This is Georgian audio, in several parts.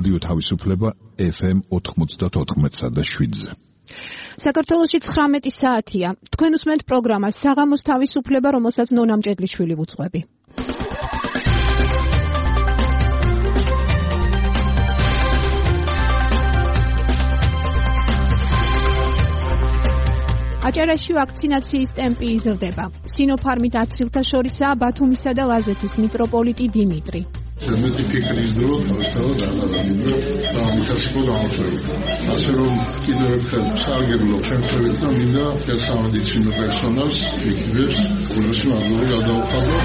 რადიო თავისუფლება FM 94.7-ზე. საქართველოში 19 საათია. თქვენ უსმენთ პროგრამას საღამოს თავისუფლება, რომელსაც ნონა მჭედლიშვილი ვუძღვები. აჭარაში ვაქცინაციის ტემპი იზრდება. სინოფარმით აცილთა შორისაა ბათუმისა და ლაზეთის მიტროპოლიტი დიმიტრი. მეტი ფიქრის დრო თავისთავად აღარანიბრო და ამიტაციკო გამოსვევი. ასე რომ კიდევ ერთხელ სარგებლობ შემთხვევით და მინდა სამედიცინო პერსონალს იქნებს ყველაზე მადლობა გადაუხადო.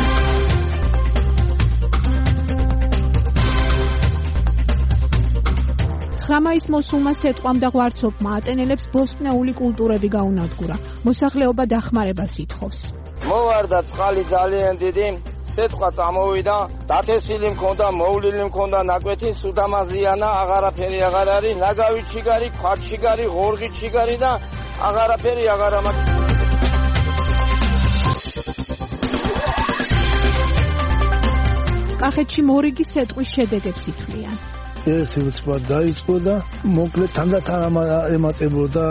ხრამაის მოსულმა სეტყვამ და ღვარცობმა ატენელებს ბოსტნეული კულტურები გაუნადგურა. მოსახლეობა დახმარებას ითხოვს. მოვარდა წყალი ძალიან დიდი, სეტყვა წამოვიდა, დათესილი მქონდა, მოვლილი მქონდა ნაკვეთი, სუდამაზიანა, აღარაფერი აღარ არის, ნაგავი ჩიგარი, ქვაც ჩიგარი, ღორღი ჩიგარი და აღარაფერი აღარ ამაქვს. კახეთში მორიგი სეტყვის შედეგებს ითვლიან. ერთი უცბად დაიწყო და მოკლედ თანდათან ემატებოდა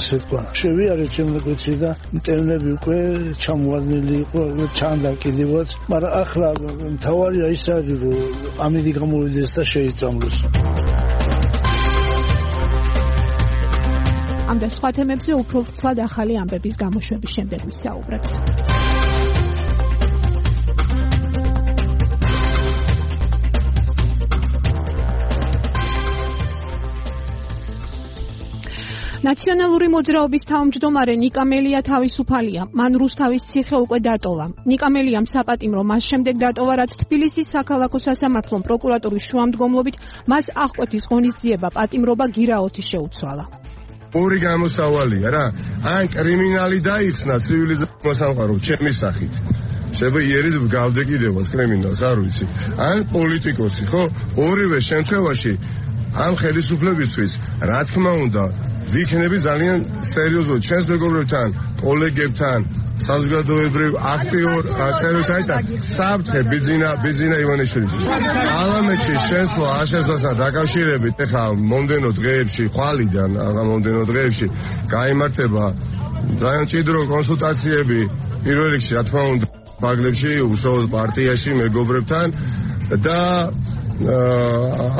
სეტყვა. შევიარეთ შემდეგში და მტევნები უკვე ჩამოვარდნილი იყო, ჩანდა კიდევაც, მაგრამ ახლა მთავარია ის არის, რომ ამინდი გამოვიდეს და შეიწამლოს. ამ და სხვა თემებზე უფრო ვრცლად ახალი ამბების გამოშვების შემდეგ ვისაუბრებთ. ნაციონალური მოძრაობის თავმჯდომარე ნიკა მელია თავისუფალია. მან რუსთავის ციხე უკვე დატოვა. ნიკა მელიამ საპატიმრო მას შემდეგ დატოვა, რაც თბილისის საქალაქო სასამართლომ პროკურატურის შუამდგომლობით მას აღკვეთის ღონისძიება პატიმრობა გირაოთი შეუცვალა. ორი გამოსავალია რა. ან კრიმინალი დაიხსნა ცივილიზაციურ სამყაროს ჩემი სახით. შეგვიერით გავდე კიდევაც კრიმინალს, არ ვიცი. ან პოლიტიკოსი, ხო? ორივე შემთხვევაში ამ ხელისუფლებისთვის რა თქმა უნდა ვიქნები ძალიან სერიოზულად ჩვენს მეგობრებთან, კოლეგებთან, საზოგადოებრივ აქტიურ წევრებთან და საბჭე ბიძინა ივანიშვილის. პარლამენტში შესვლა აღშესვასთან დაკავშირებით ახლა მომდენო დღეებში, ხვალიდან მომდენო დღეებში გაიმართება ძალიან ჭიდრო კონსულტაციები პირველ რიგში, რა თქმა უნდა, ბაგლებში, უშუალოდ პარტიაში მეგობრებთან და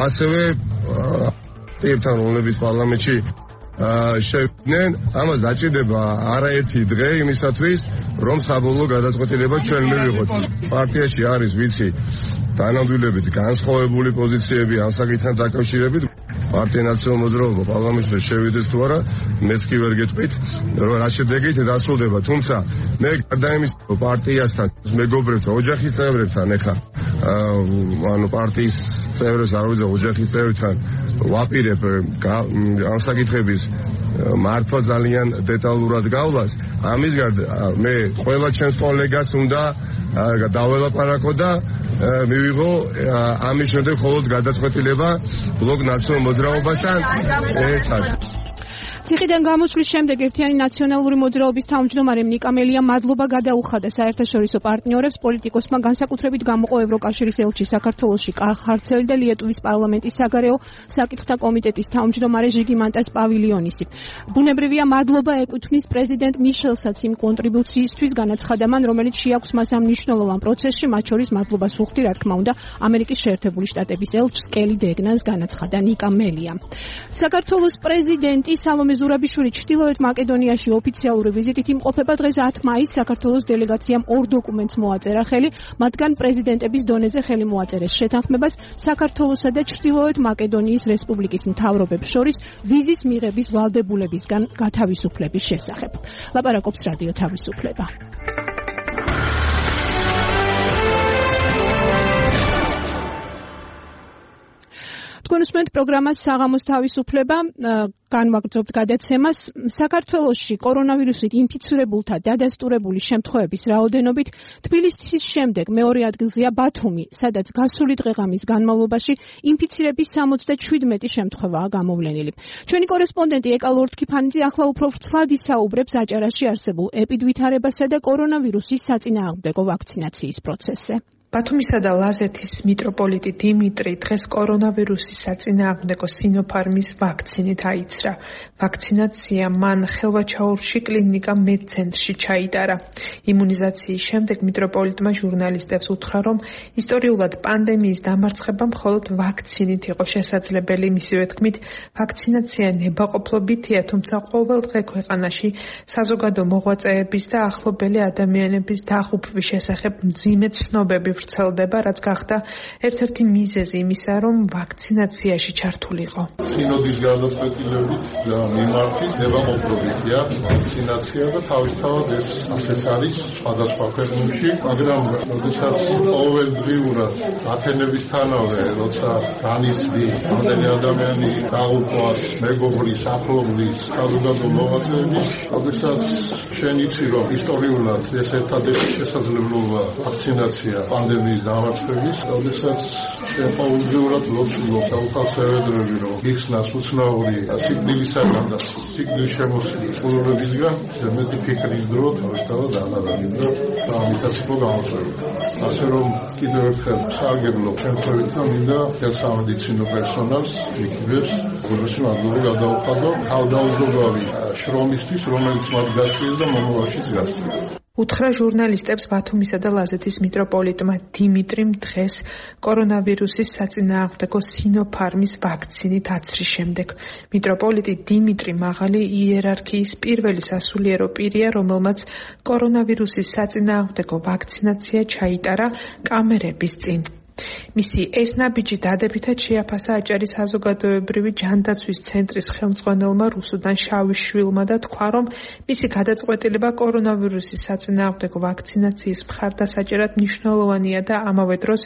ასევე ერთთან რომლების პარლამენტში შევიდნენ, ამას დაჭირდება არაერთი დღე იმისათვის, რომ საბოლოო გადაწყვეტილება ჩვენ მივიღოთ. პარტიაში არის ვიცი თანამდებობით განსხვავებული პოზიციები ამ საკითხთან დაკავშირებით. პარტია ნაციონალურ მოძრაობა პარლამენტში შევიდეს თუ არა, მეც კი ვერ გეტყვით, რომ რა შედეგით დასრულდება. თუმცა მე გარდა იმისა, რომ პარტიასთან, მეგობრებთან, ოჯახის წევრებთან ეხლა ანუ პარტიის წევრებს არ ვიცი, ოჯახის წევრებთან ვაპირებ ამ საკითხების მართვა ძალიან დეტალურად გავლას. ამის გარდა მე ყველა ჩემს კოლეგას უნდა დაველაპარაკო და მივიღო ამის შემდეგ მხოლოდ გადაწყვეტილება ბლოკ ნაციონალურ მოძრაობასთან ერთად. ციხიდან გამოსვლის შემდეგ ერთიანი ნაციონალური მოძრაობის თავმჯდომარემ ნიკა მელიამ მადლობა გადაუხადა საერთაშორისო პარტნიორებს, პოლიტიკოსმა, განსაკუთრებით გამოყო ევროკავშირის ელჩი საქართველოში ხარცელი და ლიეტუვის პარლამენტის საგარეო საკითხთა კომიტეტის თავმჯდომარე ჟიგიმანტას პავილიონისი. ბუნებრივია მადლობა ეკუთვნის პრეზიდენტ მიშელსაც იმ კონტრიბუციისთვის, განაცხადა მან, რომელიც შეაქვს მას ამ მნიშვნელოვან პროცესში, მათ შორის მადლობას ვუხდი, რა თქმა უნდა, ამერიკის შეერთებული შტატების ელჩს კელი დეგნანს, განაცხადა ნიკა მელია. საქართველოს პრეზიდენტი სალომე ზურაბიშვილი ჩრდილოეთ მაკედონიაში ოფიციალური ვიზიტით იმყოფება. დღეს 10 მაისს საქართველოს დელეგაციამ 2 დოკუმენტს მოაწერა ხელი, მათგან პრეზიდენტების დონეზე ხელი მოაწერეს შეთანხმებას საქართველოსა და ჩრდილოეთ მაკედონიის რესპუბლიკის მთავრობებს შორის ვიზის მიღების ვალდებულებისგან გათავისუფლების შესახებ. ლაპარაკობს რადიო თავისუფლება. თქვენ უსმენთ პროგრამას საღამოს თავისუფლება, განვაგრძობთ გადაცემას. საქართველოში კორონავირუსით ინფიცირებულთა დადასტურებული შემთხვევების რაოდენობით თბილისის შემდეგ მეორე ადგილზეა ბათუმი, სადაც გასული დღე-ღამის განმავლობაში ინფიცირების 77 შემთხვევაა გამოვლენილი. ჩვენი კორესპონდენტი ეკა ლორთქიფანიძე ახლა უფრო ვრცლად ისაუბრებს აჭარაში არსებულ ეპიდვითარებასა და კორონავირუსის საწინააღმდეგო ვაქცინაციის პროცესზე. ბათუმისა და ლაზეთის მიტროპოლიტი დიმიტრი დღეს კორონავირუსის საწინააღმდეგო სინოფარმის ვაქცინით აიცრა. ვაქცინაცია მან ხელვაჩაურში კლინიკა მედცენტრში ჩაიტარა. იმუნიზაციის შემდეგ მიტროპოლიტმა ჟურნალისტებს უთხრა, რომ ისტორიულად პანდემიის დამარცხება მხოლოდ ვაქცინით იყო შესაძლებელი. მისივე თქმით, ვაქცინაცია ნებაყოფლობითია, თუმცა ყოველ დღე ქვეყანაში საზოგადო მოღვაწეების და ახლობელი ადამიანების დაღუპვის შესახებ მძიმე ცნობები ვრცელდება, რაც გახდა ერთ-ერთი მიზეზი იმისა, რომ ვაქცინაციაში ჩართულიყო. სინოდის გადაწყვეტილებით და მიმართით ნებაყოფლობითია ვაქცინაცია და თავისთავად ეს ასეც არის სხვადასხვა ქვეყნებში, მაგრამ როდესაც ყოველდღიურად ათენებისთანავე, როცა განიცდი რამდენი ადამიანი დაღუპვას, მეგობრის, ახლობლის, საზოგადო მოღვაწეების, როდესაც შენ იცი, რომ ისტორიულად ეს ერთადერთი შესაძლებლობა ვაქცინაცია პანდემიის დამარცხების, როდესაც შენ ყოველდღიურად ლოცულობ და უხალისებედრები, რომ იხსნას უცნაური სიკვდილისაგან და სიკვდილის შემოსლის ყურებისგან, მეტი ფიქრის დრო თავისთავად აღარაგებ და ამითაც იყო გამოწვეული. ასე რომ კიდევ ერთხელ სარგებლობ შემთხვევით და მინდა სამედიცინო პერსონალს იქნებს გულში მადლობა გადაუხადო თავდაუზოგავი შრომისთვის, რომელიც მათ გასწრეს და მომავალშიც გასწრება. უთხრა ჟურნალისტებს ბათუმისა და ლაზეთის მიტროპოლიტმა დიმიტრიმ დღეს კორონავირუსის საწინააღმდეგო სინოფარმის ვაქცინით აცრის შემდეგ. მიტროპოლიტი დიმიტრი მაღალი იერარქიის პირველი სასულიერო პირია, რომელმაც კორონავირუსის საწინააღმდეგო ვაქცინაცია ჩაიტარა კამერების წინ. მისი ეს ნაბიჯი დადებითად შეაფასა აჭარის საზოგადოებრივი ჯანდაცვის ცენტრის ხელმძღვანელმა რუსუდან შავიშვილმა და თქვა, რომ მისი გადაწყვეტილება კორონავირუსის საწინააღმდეგო ვაქცინაციის მხარდასაჭერად მნიშვნელოვანია და ამავე დროს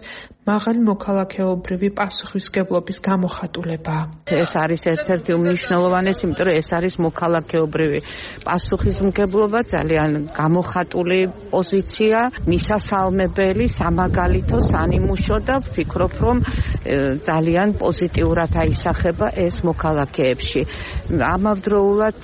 მაღალი მოქალაქეობრივი პასუხისმგებლობის გამოხატულებაა. ეს არის ერთ-ერთი უმნიშვნელოვანესი, იმიტომ რომ ეს არის მოქალაქეობრივი პასუხისმგებლობა, ძალიან გამოხატული პოზიცია, მისასალმებელი, სამაგალითო, სანიმუშო და ვფიქრობ, რომ ძალიან პოზიტიურად აისახება ეს მოქალაქეებში. ამავდროულად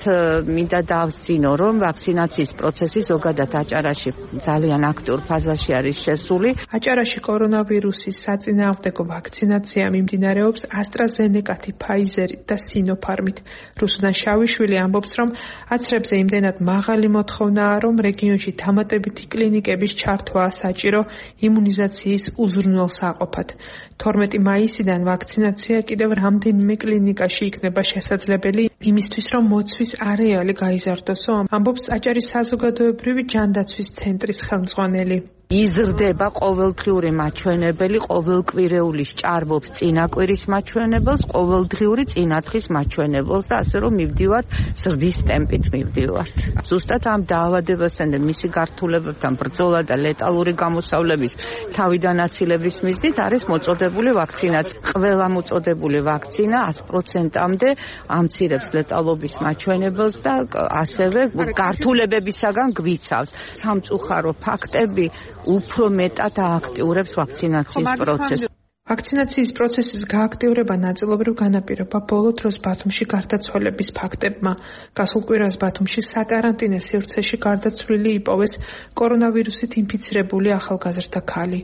მინდა დავსწინო, რომ ვაქცინაციის პროცესი ზოგადად აჭარაში ძალიან აქტიურ ფაზაში არის შესული. აჭარაში კორონავირუსის საწინააღმდეგო ვაქცინაცია მიმდინარეობს AstraZeneca-ით, Pfizer-ით და Sinopharm-ით. რუსუდან შავიშვილი ამბობს, რომ აცრებზე იმდენად მაღალი მოთხოვნაა, რომ რეგიონში დამატებითი კლინიკების ჩართვაა საჭირო იმუნიზაციის უზრუნველსაყოფად. 12 მაისიდან ვაქცინაცია კიდევ რამდენიმე კლინიკაში იქნება შესაძლებელი იმისთვის, რომ მოცვის არეალი გაიზარდოსო, ამბობს აჭარის საზოგადოებრივი ჯანდაცვის ცენტრის ხელმძღვანელი. იზრდება ყოველდღიური მაჩვენებელი, ყოველკვირეულის ჭარბობს წინაკვირის მაჩვენებელს, ყოველდღიური წინათხის მაჩვენებელს და ასე რომ მივდივართ ზრდის ტემპით მივდივართ. ზუსტად ამ დაავადებასთან და მისი გართულებებთან ბრძოლა და ლეტალური გამოსავლების თავიდან აცილების მიზნით არის მოწოდებული ვაქცინაცია. ყველა მოწოდებული ვაქცინა 100%-მდე ამცირებს ლეტალობის მაჩვენებელს და ასევე გართულებებისაგან გვიცავს. სამწუხარო ფაქტები უფრო მეტად ააქტიურებს ვაქცინაციის პროცესს. ვაქცინაციის პროცესის გააქტიურება ნაწილობრივ განაპირობა ბოლო დროს ბათუმში გარდაცვალების ფაქტებმა. გასულ კვირას ბათუმში საკარანტინე სივრცეში გარდაცვლილი იპოვეს კორონავირუსით ინფიცირებული ახალგაზრდა ქალი.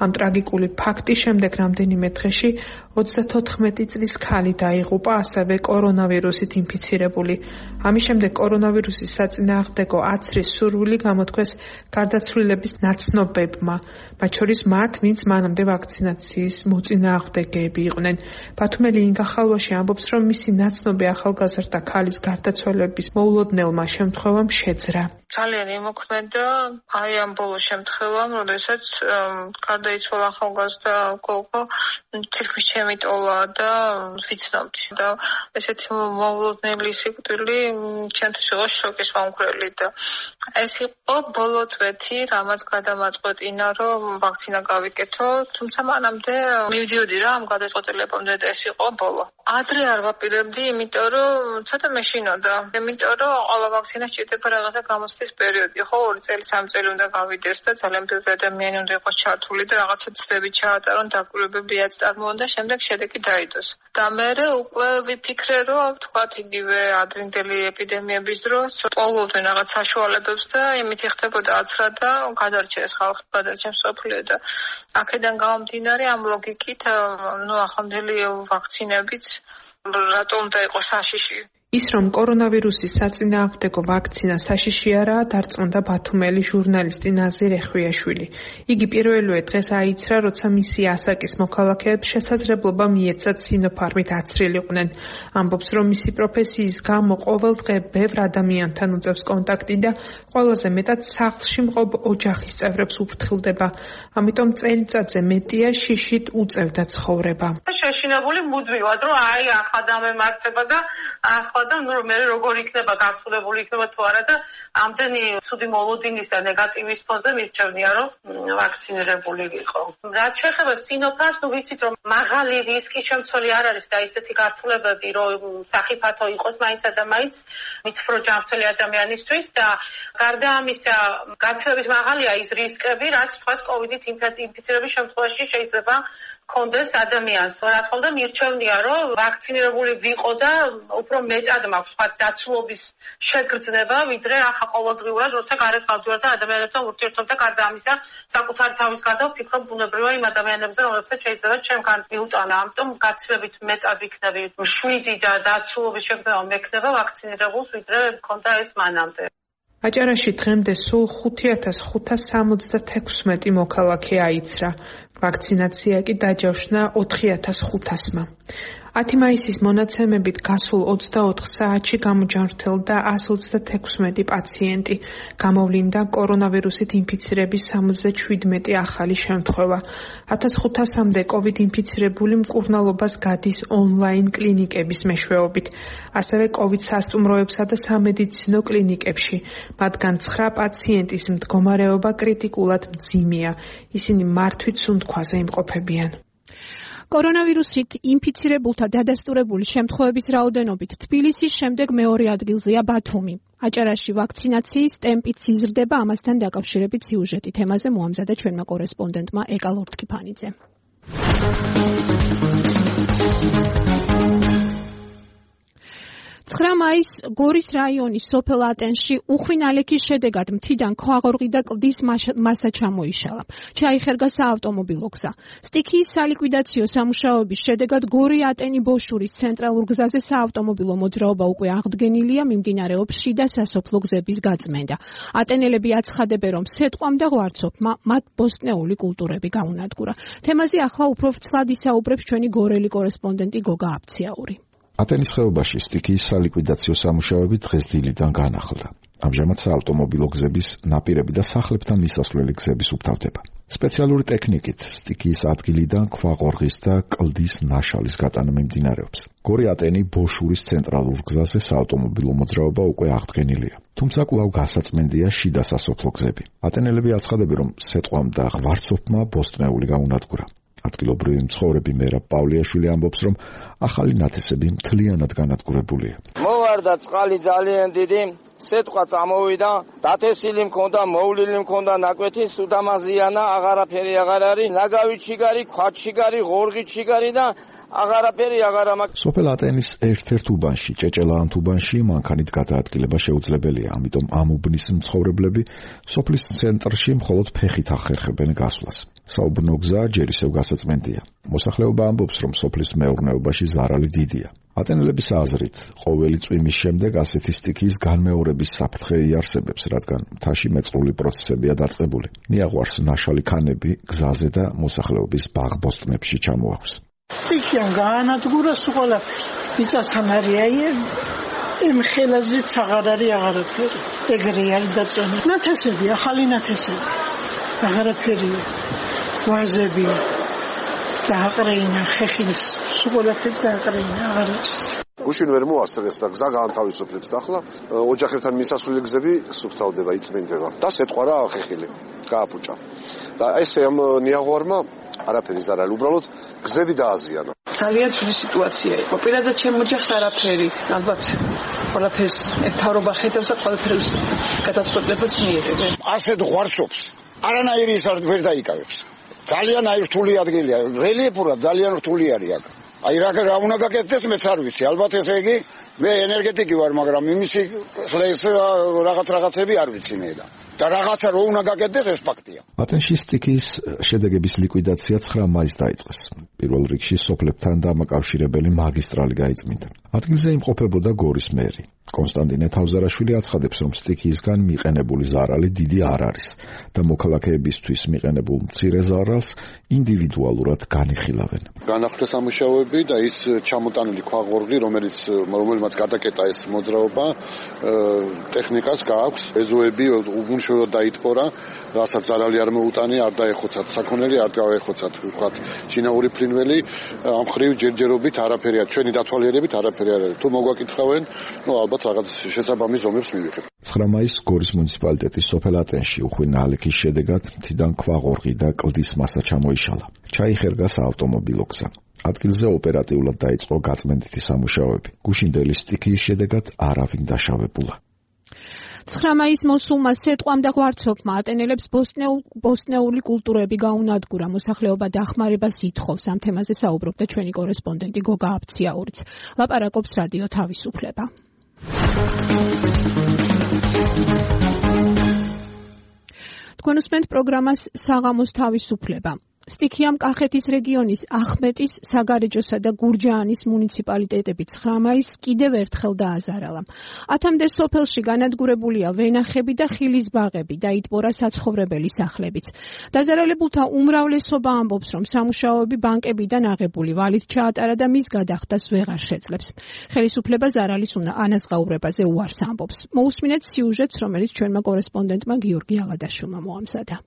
ამ ტრაგიკული ფაქტის შემდეგ რამდენიმე დღეში 34 წლის ქალი დაიღუპა, ასევე კორონავირუსით ინფიცირებული. ამის შემდეგ კორონავირუსის საწინააღმდეგო აცრის სურვილი გამოთქვეს გარდაცვლილების ნაცნობებმა, მათ შორის მათ, ვინც მანამდე ვაქცინაციის მოწინააღმდეგეები იყვნენ. ბათუმელი ინგა ხალვაში ამბობს, რომ მისი ნაცნობი ახალგაზრდა ქალის გარდაცვალების მოულოდნელმა შემთხვევამ შეძრა. ძალიან იმოქმედა აი ამ ბოლო შემთხვევამ, როდესაც გარდაიცვალა ახალგაზრდა გოგო, თითქმის ჩემი ტოლა და ვიცნობდი და ესეთი მოულოდნელი სიკვდილი ჩემთვის იყო შოკის მომგვრელი და ეს იყო ბოლო წვეთი, რამაც გადამაწყვეტინა, რომ ვაქცინა გავიკეთო, თუმცა მანამდე მივდიოდი რა ამ გადაწყვეტილებამდე და ეს იყო ბოლო. ადრე არ ვაპირებდი, იმიტომ რომ ცოტა მეშინოდა. იმიტომ რომ ყველა ვაქცინა სჭირდება რაღაცა გამოცდის პერიოდი, ხო, 2 წელი, 3 წელი უნდა გავიდეს და ძალიან ბევრი ადამიანი უნდა იყოს ჩართული და რაღაცა ცდები ჩაატარონ, დაკვირვებებიაც წარმოონ და შემდეგ შედეგი დაიდოს. და მე უკვე ვიფიქრე, რომ თქვათ იგივე ადრინდელი ეპიდემიების დროს პოულობდნენ რაღაც საშუალებებს და იმით იხდებოდა აცრა და გადარჩეს ხალხი, გადარჩეს სოფლიო და აქედან გამომდინარე ამ ლოგიკით, ახლანდელი ვაქცინებიც რატომ უნდა იყოს საშიში. ის რომ კორონავირუსის საწინააღმდეგო ვაქცინა საშიში არაა, დარწმუნდა ბათუმელი ჟურნალისტი ნაზირ ეხვიაშვილი. იგი პირველივე დღეს აიცრა, როცა მისი ასაკის მოქალაქეებს შესაძლებლობა მიეცათ სინოფარმით აცრილიყვნენ. ამბობს, რომ მისი პროფესიის გამო ყოველდღე ბევრ ადამიანთან უწევს კონტაქტი და ყველაზე მეტად სახლში მყოფ ოჯახის წევრებს უფრთხილდება. ამიტომ წელიწადზე მეტია შიშით უწევდა ცხოვრება. შეშინებული მუდმივად, რომ ახლა დამემართება და ახლა და მე როგორ იქნება გასულებული იქნება თუ არა და ამდენი ცუდი მოლოდინის და ნეგატივის ფონზე მირჩევნია რომ ვაქცინირებული ვიყო. რაც შეეხება სინოფარს, ვიცით რომ მაღალი რისკის შემცველი არ არის და ისეთი გართულებები რომ სახიფათო იყოს მაინცა და მაინც მითხრა ჯანმრთელი ადამიანისთვის და გარდა ამისა გაცილებით მაღალია ის რისკები, რაც თქვა კოვიდით ინფიცირების შემთხვევაში შეიძლება კონდეს ადამიანს. რა თქმა უნდა მირჩევნია რომ ვაქცინირებული ვიყო და უფრო მეტად მაქვს სხვა დაცულობის შეგრძნება, ვიდრე ახლა ყოველდღიურად როცა გარეთ გავდივარ და ადამიანებთან ურთიერთობ და გარდა ამისა საკუთარი თავის გარდა ვფიქრობ ბუნებრივია იმ ადამიანებზე, რომლებსაც შეიძლება ჩემგან მიუტანა. ამიტომ გაცილებით მეტად ვიქნები 7 და დაცულობის შეგრძნება მექნება ვაქცინირებულს, ვიდრე მქონდა ეს მანამდე. აჭარაში დღემდე სულ 5576 მოქალაქე აიცრა. ვაქცინაცია კი დაჯავშნა 4500-მა. 10 მაისის მონაცემებით გასულ 24 საათში გამოჯანმრთელდა 136 პაციენტი. გამოვლინდა კორონავირუსით ინფიცირების 77 ახალი შემთხვევა. 1500-მდე კოვიდ ინფიცირებული მკურნალობას გადის ონლაინ კლინიკების მეშვეობით. ასევე კოვიდ სასტუმროებსა და სამედიცინო კლინიკებში. მათგან 9 პაციენტის მდგომარეობა კრიტიკულად მძიმეა. ისინი მართვით სუნთქვაზე იმყოფებიან. კორონავირუსით ინფიცირებულთა დადასტურებული შემთხვევების რაოდენობით თბილისის შემდეგ მეორე ადგილზეა ბათუმი. აჭარაში ვაქცინაციის ტემპიც იზრდება, ამასთან დაკავშირებით სიუჟეტი თემაზე მოამზადა ჩვენმა კორესპონდენტმა ეკა ლორთქიფანიძე. 9 მაისს გორის რაიონის სოფელ ატენში უხვი ნალექის შედეგად მთიდან ქვაღორღი და კლდის მასა ჩამოიშალა. ჩაიხერგა საავტომობილო გზა. სტიქიის სალიკვიდაციო სამუშაოების შედეგად გორი-ატენი ბოშურის ცენტრალურ გზაზე საავტომობილო მოძრაობა უკვე აღდგენილია, მიმდინარეობს შიდა სასოფლო გზების გაწმენდა. ატენელები აცხადებენ, რომ სეტყვამ და ღვარცოფმა მათ ბოსტნეული კულტურები გაუნადგურა. თემაზე ახლა უფრო ვრცლად ისაუბრებს ჩვენი გორელი კორესპონდენტი გოგა აბციაური. ატენის ხეობაში სტიქიის სალიკვიდაციო სამუშაოები დღეს დილიდან განახლდა. ამჟამად საავტომობილო გზების ნაპირები და სახლებთან მისასვლელი გზების უფთავდება. სპეციალური ტექნიკით სტიქიის ადგილიდან ქვაღორღის და კლდის ნაშალის გატანა მიმდინარეობს. გორი-ატენი ბოშურის ცენტრალურ გზაზე საავტომობილო მოძრაობა უკვე აღდგენილია. თუმცა კვლავ გასაწმენდია შიდა სასოფლო გზები. ატენელები აცხადებენ, რომ სეტყვამ და ღვარცოფმა ბოსტნეული გაუნადგურა. ადგილობრივი მცხოვრები მერაბ პავლიაშვილი ამბობს, რომ ახალი ნათესები მთლიანად განადგურებულია. მოვარდა წყალი ძალიან დიდი, სეტყვა წამოვიდა, დათესილი მქონდა, მოვლილი მქონდა ნაკვეთი, სუდამაზიანა, აღარაფერი აღარ არის, ნაგავი ჩიგარი, ქვა ჩიგარი, ღორღი ჩიგარი და აღარაფერი აღარ მაქვს. სოფელ ატენის ერთ-ერთ უბანში, ჭეჭელაანთ უბანში მანქანით გადაადგილება შეუძლებელია, ამიტომ ამ უბნის მცხოვრებლები სოფლის ცენტრში მხოლოდ ფეხით ახერხებენ გასვლას. საუბრნო გზა ჯერ ისევ გასაწმენდია. მოსახლეობა ამბობს, რომ სოფლის მეურნეობაში ზარალი დიდია. ატენელების აზრით, ყოველი წვიმის შემდეგ ასეთი სტიქიის განმეორების საფრთხე იარსებებს, რადგან მთაში მეწყრული პროცესებია დაწყებული. ნიაღვარს ნაშალი ქანები გზაზე და მოსახლეობის ბაღ-ბოსტნებში ჩამოაქვს. სტიქიან გაანადგურა ყველაფერი. მიწასთან არის იმ ხელაზეც აღარ არის აღარაფერი. ეგრე არის დაწონილი. ნათესები, ახალი ნათესები. აღარაფერია. ვაზები დააყრეინა ხეხილის ყველაფერი დააყრეინა აღარ არის. გუშინ ვერ მოასწრეს და გზა გაანთავისუფლებს და ახლა ოჯახებთან მისასვლელი გზები სუფთავდება, იწმინდება და სეტყვა ხეხილი გააფუჭა. და ეს ამ ნიაღვარმა არაფერი ზარალი, უბრალოდ გზები დააზიანა. ძალიან ცუდი სიტუაცია იყო. პირადად ჩემ ოჯახს არაფერი, ალბათ ყველაფერს მთავრობა ხედავს და ყველაფერს გადაწყვეტილებას მიიღებს. ასეთ ღვარცობს არანაირი ის ვერ დაიკავებს. ძალიან რთული ადგილია, რელიეფურად ძალიან რთული არის აქ. აი რა უნდა გაკეთდეს მეც არ ვიცი. ალბათ ესე იგი მე ენერგეტიკი ვარ, მაგრამ იმისი ხლეს რაღაცები არ ვიცი მე და რაღაცა რო უნდა გაკეთდეს ეს ფაქტია. ატენში სტიქიის შედეგების ლიკვიდაცია 9 მაისს დაიწყეს. პირველ რიგში სოფლებთან დამაკავშირებელი მაგისტრალი გაიწმინდა. ადგილზე იმყოფებოდა გორის მერი. კონსტანტინე თავზარაშვილი აცხადებს, რომ სტიქიისგან მიყენებული ზარალი დიდი არ არის და მოქალაქეებისთვის მიყენებულ მცირე ზარალს ინდივიდუალურად განიხილავენ. განახლდა სამუშაოები და ის ჩამოტანილი ქვაღორღი, რომელმაც გადაკეტა ეს მოძრაობა, ტექნიკას გააქვს, ეზოები უგუნშველად დაიტბორა, რასაც ზარალი არ მოუტანია, არ დაეხოცათ საქონელი, არ დაეხოცათ ვთქვათ შინაური ფრინველი, ამ ხრივ ჯერჯერობით არაფერია, ჩვენი დათვალიერებით არაფერი არ არის. თუ მოგვაკითხავენ, ალბათ რაღაც შესაბამის ზომებს მივიღებ. 9 მაისს გორის მუნიციპალიტეტის სოფელ ატენში უხვინა ალექის შედეგად მთიდან ქვაღორღი და კლდის მასა ჩამოიშალა. ჩაიხერგა საავტომობილო გზა. ადგილზე ოპერატიულად დაიწყო გაწმენდითი სამუშაოები. გუშინდელი სტიქიის შედეგად არავინ დაშავებულა. 9 მაისს მოსულმა სეტყვამ და ღვარცობმა ატენელებს ბოსტნეული კულტურები გაუნადგურა. მოსახლეობა დახმარებას ითხოვს. ამ თემაზე საუბრობდა ჩვენი კორესპონდენტი გოგა აფციაურიც. ლაპარაკობს რადიო თავისუფლება. თქვენ უსმენთ პროგრამას საღამოს თავისუფლება. სტიქიამ კახეთის რეგიონის ახმეტის, საგარეჯოსა და გურჯაანის მუნიციპალიტეტები 9 მაისს კიდევ ერთხელ დააზარალა. 10-მდე სოფელში განადგურებულია ვენახები და ხილის ბაღები, დაიტბორა საცხოვრებელი სახლებიც. დაზარალებულთა უმრავლესობა ამბობს, რომ სამუშაოები ბანკებიდან აღებული ვალით ჩაატარა და მის გადახდას ვეღარ შეძლებს. ხელისუფლება ზარალის ანაზღაურებაზე უარს ამბობს. მოусმინეთ სიუჟეტს, რომელიც ჩვენმა კორესპონდენტმა გიორგი ალადაშვილმა მოამზადა.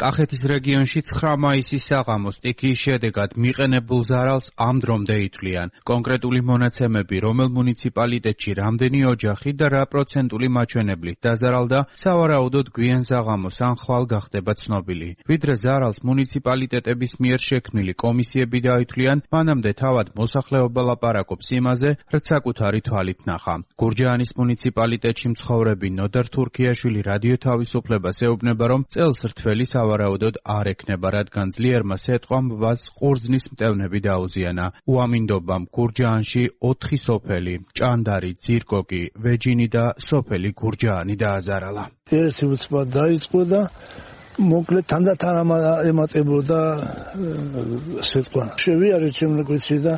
კახეთის რეგიონში 9 მაისის საღამოს სტიქიის შედეგად მიყენებულ ზარალს ამ დრომდე ითვლიან. კონკრეტული მონაცემები, რომელ მუნიციპალიტეტში რამდენი ოჯახი და რა პროცენტული მაჩვენებლით დაზარალდა, სავარაუდოდ გვიან საღამოს ან ხვალ გახდება ცნობილი. ვიდრე ზარალს მუნიციპალიტეტების მიერ შექმნილი კომისიები დაითვლიან, მანამდე თავად მოსახლეობა ლაპარაკობს იმაზე, რაც საკუთარი თვალით ნახა. გურჯაანის მუნიციპალიტეტში მცხოვრები ნოდარ თურქიაშვილი რადიო თავისუფლებას ეუბნება, რომ წელს რთველი სავარაუდოდ არ ექნება, რადგან ძლიერმა სეტყვამ ვაზ ყურძნის მტევნები დაუზიანა. უამინდობამ გურჯაანში 4 სოფელი, ჭანდარი, ძირკოკი, ვეჯინი და სოფელი გურჯაანი დააზარალა. ერთი უცბად დაიწყო და მოკლედ თანდათან ემატებოდა სეტყვა. შევიარე ჩემ გვიცი და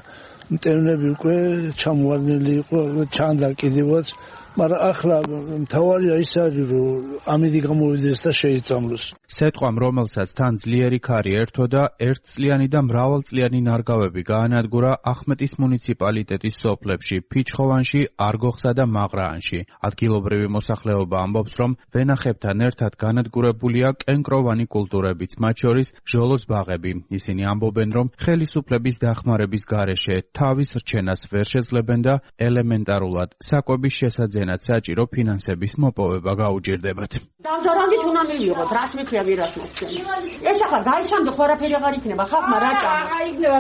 მტევნები უკვე ჩამოვარდნილი იყო, ჩანდა კიდევაც, მაგრამ ახლა მთავარია ის არის, რომ ამინდი გამოვიდეს და შეიწამლოს. სეტყვამ, რომელსაც თან ძლიერი ქარი ერთო და ერთწლიანი და მრავალწლიანი ნარგავები გაანადგურა ახმეტის მუნიციპალიტეტის სოფლებში, ფიჩხოვანში, არგოხსა და მაღრაანში. ადგილობრივი მოსახლეობა ამბობს, რომ ვენახებთან ერთად განადგურებულია კენკროვანი კულტურებიც, მათ შორის ჟოლოს ბაღები. ისინი ამბობენ, რომ ხელისუფლების დახმარების გარეშე თავის რჩენას ვერ შეძლებენ და ელემენტარულად საკვების შესაძენად საჭირო ფინანსების მოპოვება გაუჭირდებათ. დამზარალდით უნდა მივიღოთ, რას მიქრია ვირას მოხდენ. ეს ახლა გაიცამდე ხوارაფერი აღარ იქნება, ხალხმა რა ჭამს.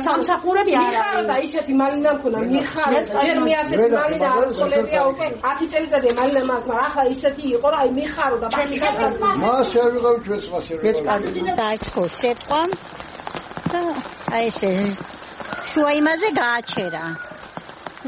სამსახურები არ არის და ისეთი მალინა მქონა, მიხარ, ჯერ მე ასეთი მალინა არ ხოლებია უკვე 10 წელიწადია მალინა მაქვს, მაგრამ ახლა ისეთი იყო, რომ აი მიხარო და ბაქი მას არ ვიღავ ჩვენს მას არ ვიღავ. დაიწყო სეტყვამ და აი ესე შუა იმაზე გააჩერა.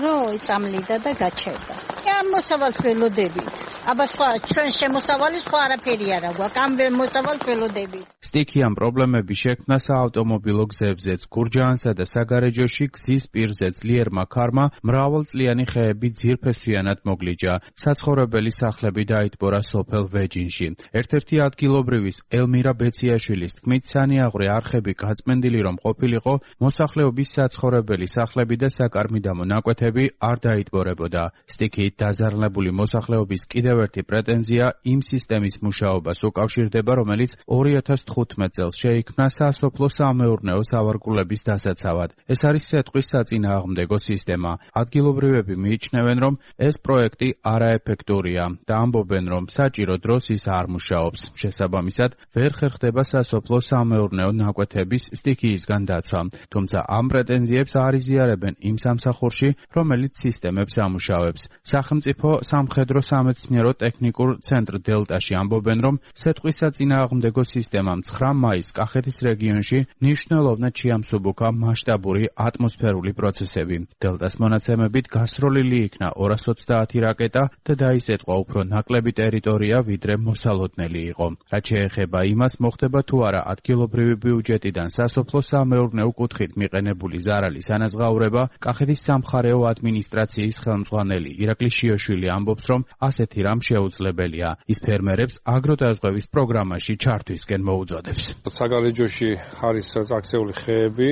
რო იწამლიდა და გაჩერდა. ამ მოსავალს ველოდებით. აბა სხვა ჩვენ შემოსავალი სხვა არაფერი არა გვაქვს. ამ მოსავალს ველოდებით. სტიქიამ პრობლემები შექმნა საავტომობილო გზებზეც. გურჯაანსა და საგარეჯოში გზის პირზე ძლიერმა ქარმა მრავალწლიანი ხეები ძირფესვიანად მოგლიჯა. საცხოვრებელი სახლები დაიტბორა სოფელ ვეჯინში. ერთ-ერთი ადგილობრივის ელმირა ბეციაშვილის თქმით, სანიაღვრე არხები გაწმენდილი რომ ყოფილიყო, მოსახლეობის საცხოვრებელი სახლები და საკარმიდამო ნაკვეთები არ დაიტბორებოდა. სტიქიით დაზარალებული მოსახლეობის კიდევ კიდევ ერთი პრეტენზია იმ სისტემის მუშაობას უკავშირდება, რომელიც 2015 წელს შეიქმნა სასოფლო სამეურნეო სავარგულების დასაცავად. ეს არის სეტყვის საწინააღმდეგო სისტემა. ადგილობრივები მიიჩნევენ, რომ ეს პროექტი არაეფექტურია და ამბობენ, რომ საჭირო დროს ის არ მუშაობს. შესაბამისად, ვერ ხერხდება სასოფლო სამეურნეო ნაკვეთების სტიქიისგან დაცვა. თუმცა ამ პრეტენზიებს არ იზიარებენ იმ სამსახურში, რომელიც სისტემებს ამუშავებს. სახელმწიფო სამხედრო სამეცნიერო ტექნიკურ ცენტრ დელტაში ამბობენ, რომ სეტყვის საწინააღმდეგო სისტემამ 9 მაისს კახეთის რეგიონში მნიშვნელოვნად შეამსუბუქა მასშტაბური ატმოსფერული პროცესები. დელტას მონაცემებით გასროლილი იქნა 230 რაკეტა და დაისეტყვა უფრო ნაკლები ტერიტორია, ვიდრე მოსალოდნელი იყო. რაც შეეხება იმას, მოხდება თუ არა ადგილობრივი ბიუჯეტიდან სასოფლო სამეურნეო კუთხით მიყენებული ზარალის ანაზღაურება, კახეთის სამხარეო ადმინისტრაციის ხელმძღვანელი ირაკლი შიოშვილი ამბობს, რომ ასეთი რამ შეუძლებელია. ის ფერმერებს აგროტაზღვევის პროგრამაში ჩართვისკენ მოუწოდებს. საგარეჯოში არის წაქცეული ხეები,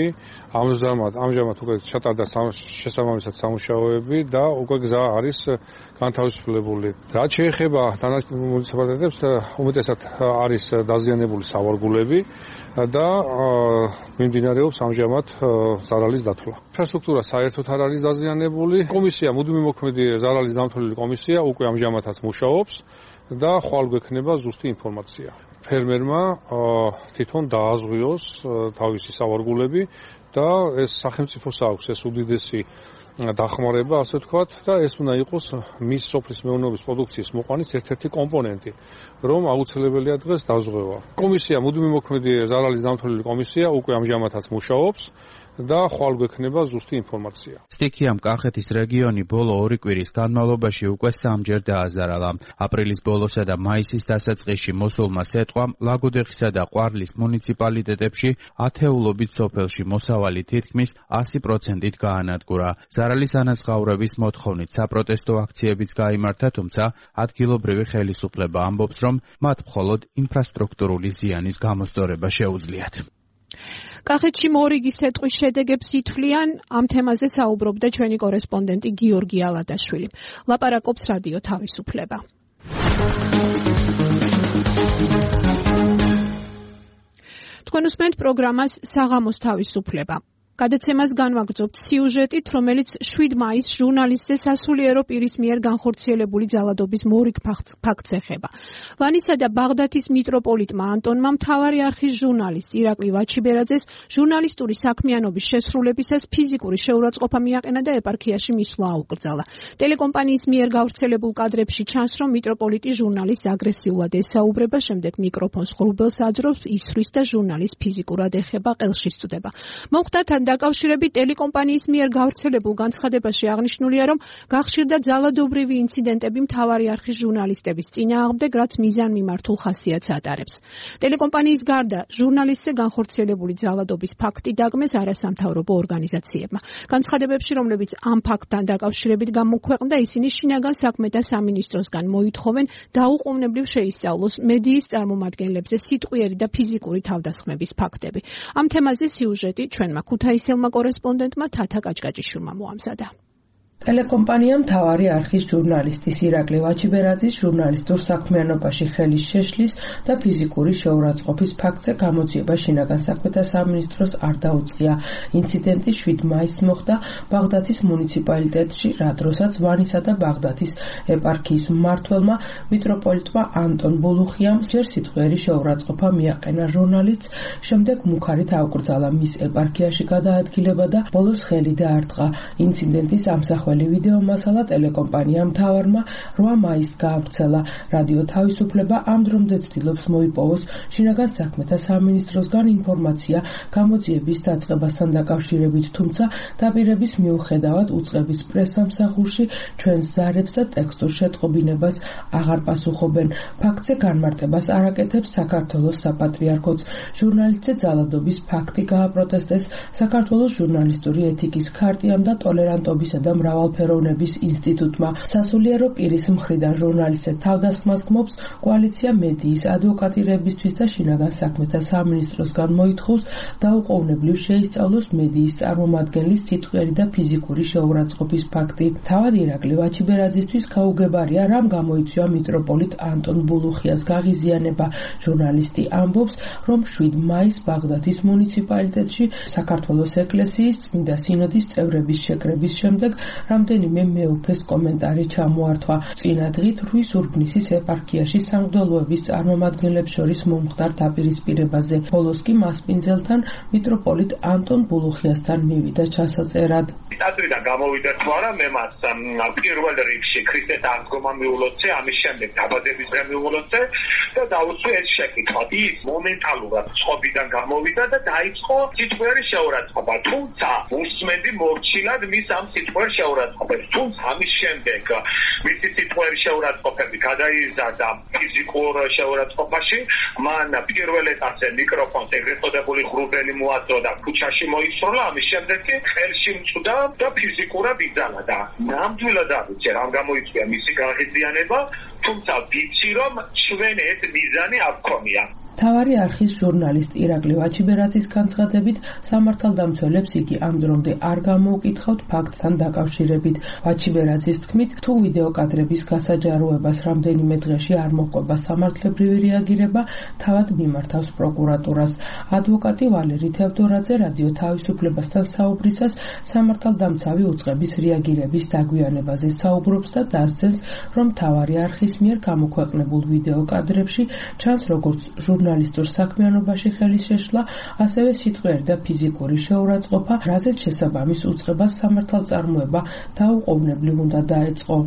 ამჟამად უკვე ჩატარდა შესაბამისად სამუშაოები და უკვე გზა არის განთავისუფლებული. რაც შეეხება დანარჩენ მუნიციპალიტეტებს, უმეტესად არის დაზიანებული სავარგულები და მიმდინარეობს ამჟამად ზარალის დათვლა. ინფრასტრუქტურა საერთოდ არ არის დაზიანებული. კომისია, მუდმივი მოქმედი ზარალის დამთვლელი კომისია უკვე ამჟამადაც მუშაობს და ხვალ გვექნება ზუსტი ინფორმაცია. ფერმერმა თვითონ დააზღვიოს თავისი სავარგულები და ეს სახელმწიფოს აქვს ეს უდიდესი დახმარება, ასე ვთქვათ, და ეს უნდა იყოს მის სოფლის მეურნეობის პროდუქციის მოყვანის ერთ-ერთი კომპონენტი, რომ აუცილებელია დღეს დაზღვევა. კომისია, მუდმივი მოქმედი ზარალის დამთვლელი კომისია უკვე ამჟამადაც მუშაობს და ხვალ გვექნება ზუსტი ინფორმაცია. სტიქიამ კახეთის რეგიონი ბოლო 2 კვირის განმავლობაში უკვე 3-ჯერ დააზარალა. აპრილის ბოლოსა და მაისის დასაწყისში მოსულმა სეტყვამ ლაგოდეხისა და ყვარლის მუნიციპალიტეტებში ათეულობით სოფელში მოსავალი თითქმის 100%-ით გაანადგურა. ზარალის ანაზღაურების მოთხოვნით საპროტესტო აქციებიც გაიმართა, თუმცა ადგილობრივი ხელისუფლება ამბობს, რომ მათ მხოლოდ ინფრასტრუქტურული ზიანის გამოსწორება შეუძლიათ. კახეთში მორიგის სეტყვის შედეგებს ითვლიან, ამ თემაზე საუბრობდა ჩვენი კორესპონდენტი გიორგი ალადაშვილი. ლაპარაკობს რადიო თავისუფლება. თქვენ უსმენთ პროგრამას საღამოს თავისუფლება. გადაცემას განვაგრძობთ სიუჟეტით, რომელიც 7 მაისს ჟურნალისტზე სასულიერო პირის მიერ განხორციელებული ძალადობის მორიგ ფაქტს ეხება. ვანისა და ბაღდათის მიტროპოლიტმა ანტონმა მთავარი არხის ჟურნალისტ ირაკლი ვაჩიბერაძეს ჟურნალისტური საქმიანობის შესრულებისას ფიზიკური შეურაცხყოფა მიაყენა და ეპარქიაში მისვლა აუკრძალა. ტელეკომპანიის მიერ გავრცელებულ კადრებში ჩანს, რომ მიტროპოლიტი ჟურნალისტს აგრესიულად ესაუბრება, შემდეგ მიკროფონს ღრუბელს აძრობს, ისვრის და ჟურნალისტს ფიზიკურად ეხება, ყელში სწვდება. მოხდა დაკავშირებით ტელეკომპანიის მიერ გავრცელებულ განცხადებაში აღნიშნულია, რომ გახშირდა ძალადობრივი ინციდენტები მთავარი არხის ჟურნალისტების წინააღმდეგ, რაც მიზანმიმართულ ხასიათს ატარებს. ტელეკომპანიის გარდა ჟურნალისტზე განხორციელებული ძალადობის ფაქტი დაგმეს არასამთავრობო ორგანიზაციებმა. განცხადებებში, რომლებიც ამ ფაქტთან დაკავშირებით გამოქვეყნდა, ისინი შინაგან საქმეთა სამინისტროსგან მოითხოვენ დაუყოვნებლივ შეისწავლოს მედიის წარმომადგენლებზე სიტყვიერი და ფიზიკური თავდასხმების ფაქტები. ამ თემაზე სიუჟეტი ჩვენმა ქუთაისელმა კორესპონდენტმა თათა კაჭკაჭიშვილმა მოამზადა. ტელეკომპანია მთავარი არხის ჟურნალისტის ირაკლი ვაჩიბერაძის ჟურნალისტურ საქმიანობაში ხელის შეშლის და ფიზიკური შეურაცხყოფის ფაქტზე გამოძიება შინაგან საქმეთა სამინისტროს არ დაუწყია. ინციდენტი 7 მაისს მოხდა ბაღდათის მუნიციპალიტეტში, რა დროსაც ვანისა და ბაღდათის ეპარქიის მმართველმა მიტროპოლიტმა ანტონ ბულუხიამ ჯერ სიტყვიერი შეურაცხყოფა მიაყენა ჟურნალისტს, შემდეგ მუქარით აუკრძალა მის ეპარქიაში გადაადგილება და ბოლოს ხელი დაარტყა. ინციდენტის ამსახველი ვიდეო მასალა ტელეკომპანია მთავარმა 8 მაისს გაავრცელა. რადიო თავისუფლება ამ დრომდე ცდილობს მოიპოვოს შინაგან საქმეთა სამინისტროსგან ინფორმაცია გამოძიების დაწყებასთან დაკავშირებით, თუმცა დაპირების მიუხედავად უწყების პრესსამსახურში ჩვენს ზარებს და ტექსტურ შეტყობინებას აღარ პასუხობენ. ფაქტზე განმარტებას არ აკეთებს საქართველოს საპატრიარქოც. ჟურნალისტზე ძალადობის ფაქტი გააპროტესტეს საქართველოს ჟურნალისტური ეთიკის ქარტიამ და ტოლერანტობისა და მრავალფეროვნების ინსტიტუტმა. სასულიერო პირის მხრიდან ჟურნალისტებს თავდასხმას გმობს კოალიცია მედიის ადვოკატირებისთვის და შინაგან საქმეთა სამინისტროსგან მოითხოვს დაუყოვნებლივ შეისწავლოს მედიის წარმომადგენლის სიტყვიერი და ფიზიკური შეურაცხყოფის ფაქტი. თავად ირაკლი ვაჩიბერაძისთვის გაუგებარია, რამ გამოიწვია მიტროპოლიტ ანტონ ბულუხიას გაღიზიანება. ჟურნალისტი ამბობს, რომ 7 მაისს ბაღდათის მუნიციპალიტეტში საქართველოს ეკლესიის წმინდა სინოდის წევრების შეკრების შემდეგ რამდენიმე მეუფეს კომენტარი ჩამოართვა. წინა დღით რუის ურბნისის ეპარქიაში სამღვდელოების წარმომადგენლებს შორის მომხდარ დაპირისპირებაზე. ბოლოს კი მასპინძელთან მიტროპოლიტ ანტონ ბულუხიასთან მივიდა ჩასაწერად. ტატრიდან გამოვიდა თუ არა მე მას პირველ რიგში ქრისტეს აღდგომა მიულოცე, ამის შემდეგ დაბადების დღე მიულოცე და დაუსვი ეს შეკითხვა. ის მომენტალურად წყობიდან გამოვიდა და დაიწყო სიტყვიერი შეურაცხყოფა. თუმცა უსმენდი მორჩილად მის ამ სიტყვიერ შეურაცხყოფებს. თუმცა ამის შემდეგ მისი სიტყვიერი შეურაცხყოფები გადაიზარდა ფიზიკურ შეურაცხყოფაში. მან პირველ ეტაპზე მიკროფონს ეგრეთ წოდებული ღრუბელი მოაწოდა და ქუჩაში მოისროლა. ამის შემდეგ კი ხელში მწვდა და ფიზიკურად იძალა და ნამდვილად ავიცე რამ გამოიწვია მისი გაღიზიანება, თუმცა ვიცი რომ ჩვენ ეს მიზანი არ გქონია. მთავარი არხის ჟურნალისტ ირაკლი ვაჩიბერაძის განცხადებით, სამართალდამცველებს იგი ამ დრომდე არ გამოუკითხავთ ფაქტთან დაკავშირებით. ვაჩიბერაძის თქმით, თუ ვიდეო კადრების გასაჯაროებას რამდენიმე დღეში არ მოჰყვება სამართლებრივი რეაგირება, თავად მიმართავს პროკურატურას. ადვოკატი ვალერი თევდორაძე რადიო თავისუფლებასთან საუბრისას სამართალდამცავი უწყების რეაგირების დაგვიანებაზე საუბრობს და დასძენს, რომ მთავარი არხის მიერ გამოქვეყნებულ ვიდეო კადრებში ჩანს როგორც ჟურნალისტურ საქმიანობაში ხელის შეშლა, ასევე სიტყვიერი და ფიზიკური შეურაცხყოფა, რაზეც შესაბამის უწყებას სამართალწარმოება დაუყოვნებლივ უნდა დაეწყო.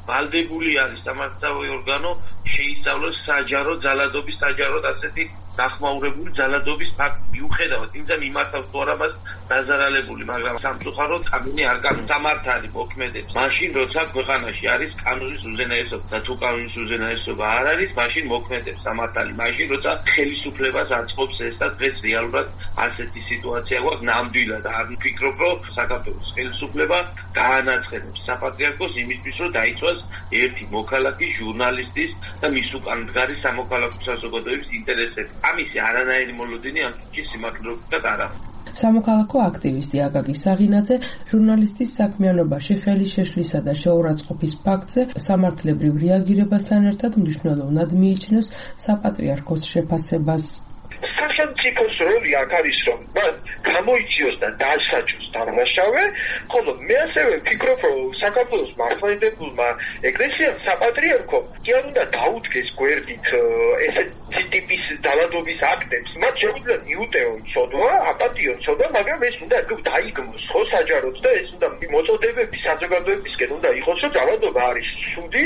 ვალდებული არის სამართალდამცავი ორგანო შეისწავლოს საჯარო ძალადობის საჯაროდ ასეთი დახმაურებული ძალადობის ფაქტი მიუხედავად იმისა მიმართავს თუ არა მას დაზარალებული, მაგრამ სამწუხაროდ კანონი არ გამართალი მოქმედებს. მაშინ როცა ქვეყანაში არის კანონის უზენაესობა და თუ კანონის უზენაესობა არ არის, მაშინ მოქმედებს სამართალი. მაშინ როცა ხელისუფლებას აწყობს ეს და დღეს რეალურად ასეთი სიტუაცია გვაქვს ნამდვილად. არ ვფიქრობ, რომ საქართველოს ხელისუფლება გაანაცხენებს საპატრიარქოს იმისთვის, რომ დაიცვას ერთი მოქალაქის, ჟურნალისტის და მის უკან მდგარი სამოქალაქო საზოგადოების ინტერესები. ამისი არანაირი მოლოდინი ამ თქი სიმართლეობითად არა. სამოქალაქო აქტივისტი აკაკი საღინაძე ჟურნალისტის საქმიანობაში ხელის შეშლისა და შეურაცხყოფის ფაქტზე სამართლებრივ რეაგირებასთან ერთად მნიშვნელოვნად მიიჩნევს საპატრიარქოს შეფასებას. სახელმწიფოს როლი აქ არის, რომ მას გამოიწვიოს და დასაჯოს დამნაშავე, ხოლო მე ასევე ვფიქრობ, რომ საქართველოს მართლმადიდებელმა ეკლესიამ საპატრიარქომ კი არ უნდა დაუდგეს გვერდით ესეთი ტიპის ძალადობის აქტებს. მათ შეუძლია მიუტევონ ცოდვა, აპატიონ ცოდვა, მაგრამ ეს უნდა დაიგმოს ხო საჯაროდ და ეს უნდა მოწოდებები საზოგადოებისკენ უნდა იყოს, რომ ძალადობა არის ცუდი.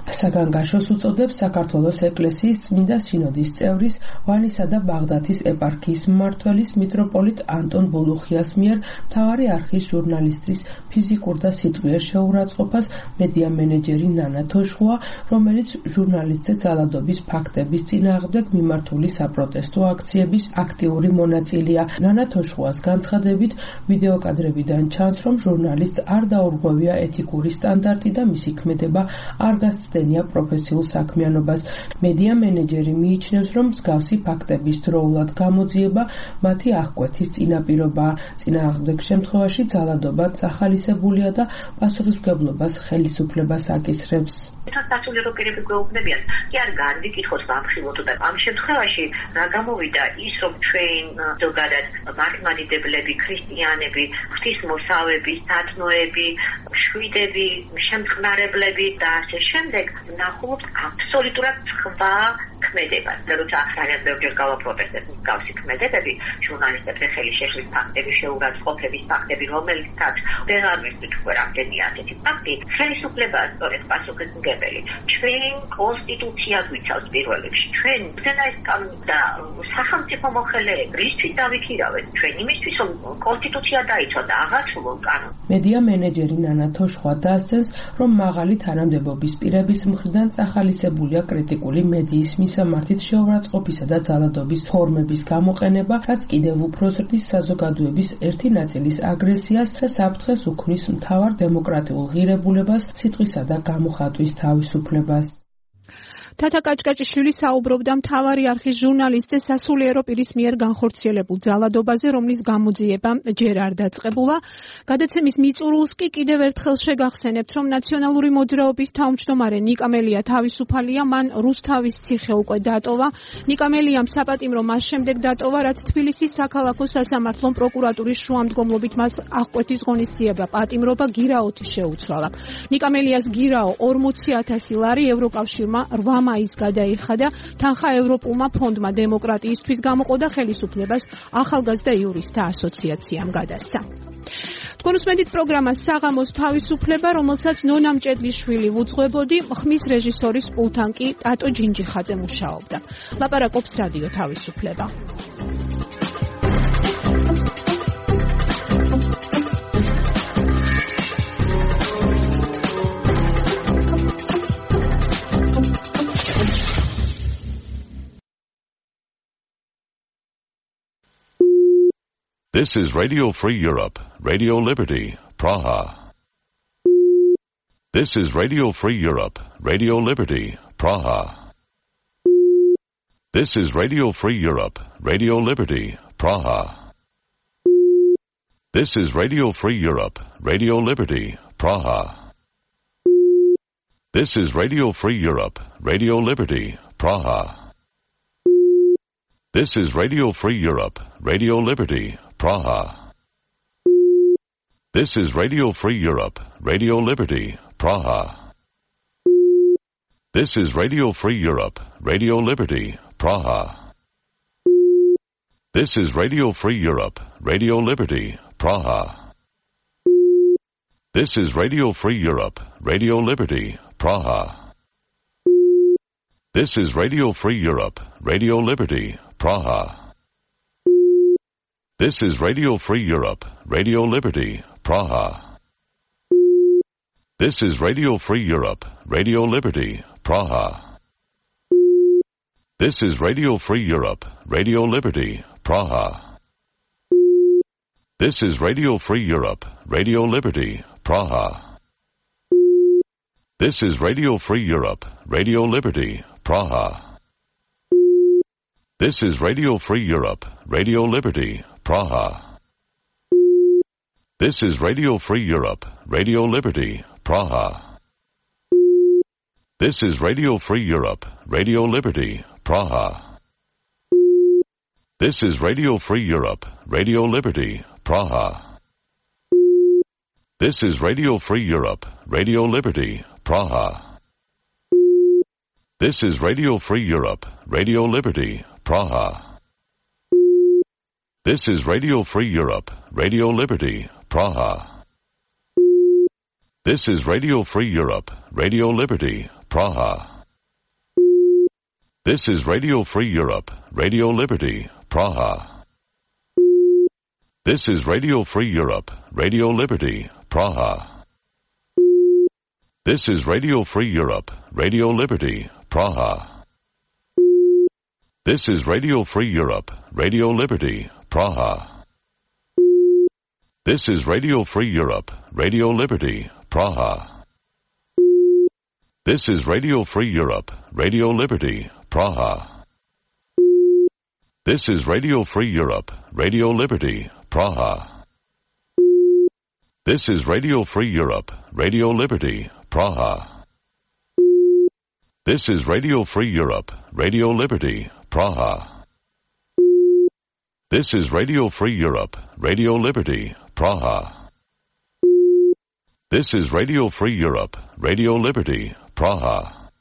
საგანგაშოს უწოდებს საქართველოს ეკლესიის წმინდა სინოდის წევრის ვალისა და ბაღდათის ეპარქიის მმართველის მიტროპოლიტ ანტონ ბულუხიას მიერ მთავარი არხის ჟურნალისტის ფიზიკურ და სიტყვიერ შეურაცხყოფას მედია მენეჯერი ნანა თოშხუა, რომელიც ჟურნალისტზე ძალადობის ფაქტების წინააღმდეგ მიმართული საპროტესტო აქციების აქტიური მონაწილეა. ნანა თოშხუას განცხადებით, ვიდეო კადრებიდან ჩანს, რომ ჟურნალისტს არ დაურღვევია ეთიკური სტანდარტი და მისი ქმედება არ გასცდენია პროფესიულ საქმიანობას. მედია მენეჯერი მიიჩნევს, რომ მსგავსი ფაქტების დროულად გამოძიება მათი აღკვეთის წინაპირობაა. წინააღმდეგ შემთხვევაში ძალადობა წახალისებულია და პასუხისმგებლობას ხელისუფლებას აკისრებს. სასულიერო პირები გვეუბნებიან, კი არ განვიკითხოთ ბავშვებო და ამ შემთხვევაში რა გამოვიდა ის, რომ ჩვენ ზოგადად მართლმადიდებლები, ქრისტიანები, ღვთისმოსავები, სათნოები, შვიდები, შემწყნარებლები და ასე შემდეგ ნახულობთ აბსოლუტურად სხვა ქმედებას. როცა ძალიან ბევრჯერ გავაპროტესტებთ მსგავსი ქმედებები, ჟურნალისტებზე ხელის შეშლის ფაქტები, შეურაცხყოფების ფაქტები, რომელიცაც ვერ ამერწით უკვე რამდენი ასეთი ფაქტი, ხელისუფლებაა სწორედ პასუხისმგებელი. ჩვენ კონსტიტუცია გვიცავს პირველ რიგში. ჩვენ უზენაეს კანონი და სახელმწიფო მოხელეები რისთვის დავიქირავეთ? ჩვენ იმისთვის, რომ კონსტიტუცია დაიცვა და აღარჩულოს კანონი. მედია მენეჯერი ნანა თოშხვა დასცენს, რომ მაღალი თანამდებობის პირები მთავრობის მხრიდან წახალისებულია კრიტიკული მედიის მისამართით შეურაცხყოფისა და ძალადობის ფორმების გამოყენება, რაც კიდევ უფრო ზრდის საზოგადოების ერთი ნაწილის აგრესიას და საფრთხეს უქმნის მთავარ დემოკრატიულ ღირებულებას, სიტყვისა და გამოხატვის თავისუფლებას. თათა კაჭკაჭიშვილი საუბრობდა მთავარი არხის ჟურნალისტზე სასულიერო პირის მიერ განხორციელებულ ძალადობაზე, რომლის გამოძიება ჯერ არ დაწყებულა. გადაცემის მიწურულს კი კიდევ ერთხელ შეგახსენებთ, რომ ნაციონალური მოძრაობის თავმჯდომარე ნიკამელია თავისუფალია, მან რუსთავის ციხე უკვე დატოვა. ნიკამელიამ საპატიმრო მას შემდეგ დატოვა, რაც თბილისის საქალაქო სასამართლომ პროკურატურის შუამდგომლობით მას აღკვეთის ღონისძიება პატიმრობა გირაოთი შეუცვალა. ნიკამელიას გირაო 40,000 ლარი ევროკავშირმა 8 მაისს გადაიხადა, თანხა ევროპულმა ფონდმა დემოკრატიისთვის გამოყო და ხელისუფლებას ახალგაზრდა იურისტთა ასოციაციამ გადასცა. თქვენ უსმენთ პროგრამას საღამოს თავისუფლება, რომელსაც ნონა მჭედლიშვილი უძღვებოდი, ხმის რეჟისორის პულტთან კი ტატო ჯინჯიხაძე მუშაობდა. ლაპარაკობს რადიო თავისუფლება. This is Radio Free Europe, Radio Liberty, Praha. This is Radio Free Europe, Radio Liberty, Praha. This is Radio Free Europe, Radio Liberty, Praha. This is Radio Free Europe, Radio Liberty, Praha. This is Radio Free Europe, Radio Liberty, Praha. This is Radio Free Europe, Radio Liberty, Praha. This is Radio Free Europe, Radio Liberty, Praha. This is Radio Free Europe, Radio Liberty, Praha. This is Radio Free Europe, Radio Liberty, Praha. This is Radio Free Europe, Radio Liberty, Praha. This is Radio Free Europe, Radio Liberty, Praha. This is Radio Free Europe, Radio Liberty, Praha. This is Radio Free Europe, Radio Liberty, Praha. This is Radio Free Europe, Radio Liberty, Praha. This is Radio Free Europe, Radio Liberty, Praha. This is Radio Free Europe, Radio Liberty, Praha. This is Radio Free Europe, Radio Liberty, Praha. This is Radio Free Europe, Radio Liberty, Praha. This is Radio Free Europe, Radio Liberty, Praha. This is Radio Free Europe, Radio Liberty, Praha. This is Radio Free Europe, Radio Liberty, Praha. This is Radio Free Europe, Radio Liberty, Praha. This is Radio Free Europe, Radio Liberty, Praha. This is Radio Free Europe, Radio Liberty, Praha. This is Radio Free Europe, Radio Liberty, Praha. This is Radio Free Europe, Radio Liberty, Praha. This is Radio Free Europe, Radio Liberty, Praha. This is Radio Free Europe, Radio Liberty, Praha. This is Radio Free Europe, Radio Liberty, Praha. This is Radio Free Europe, Radio Liberty, Praha. This is Radio Free Europe, Radio Liberty, Praha. This is Radio Free Europe, Radio Liberty, Praha. This is Radio Free Europe, Radio Liberty, Praha. This is Radio Free Europe, Radio Liberty, Praha. This is Radio Free Europe, Radio Liberty, Praha.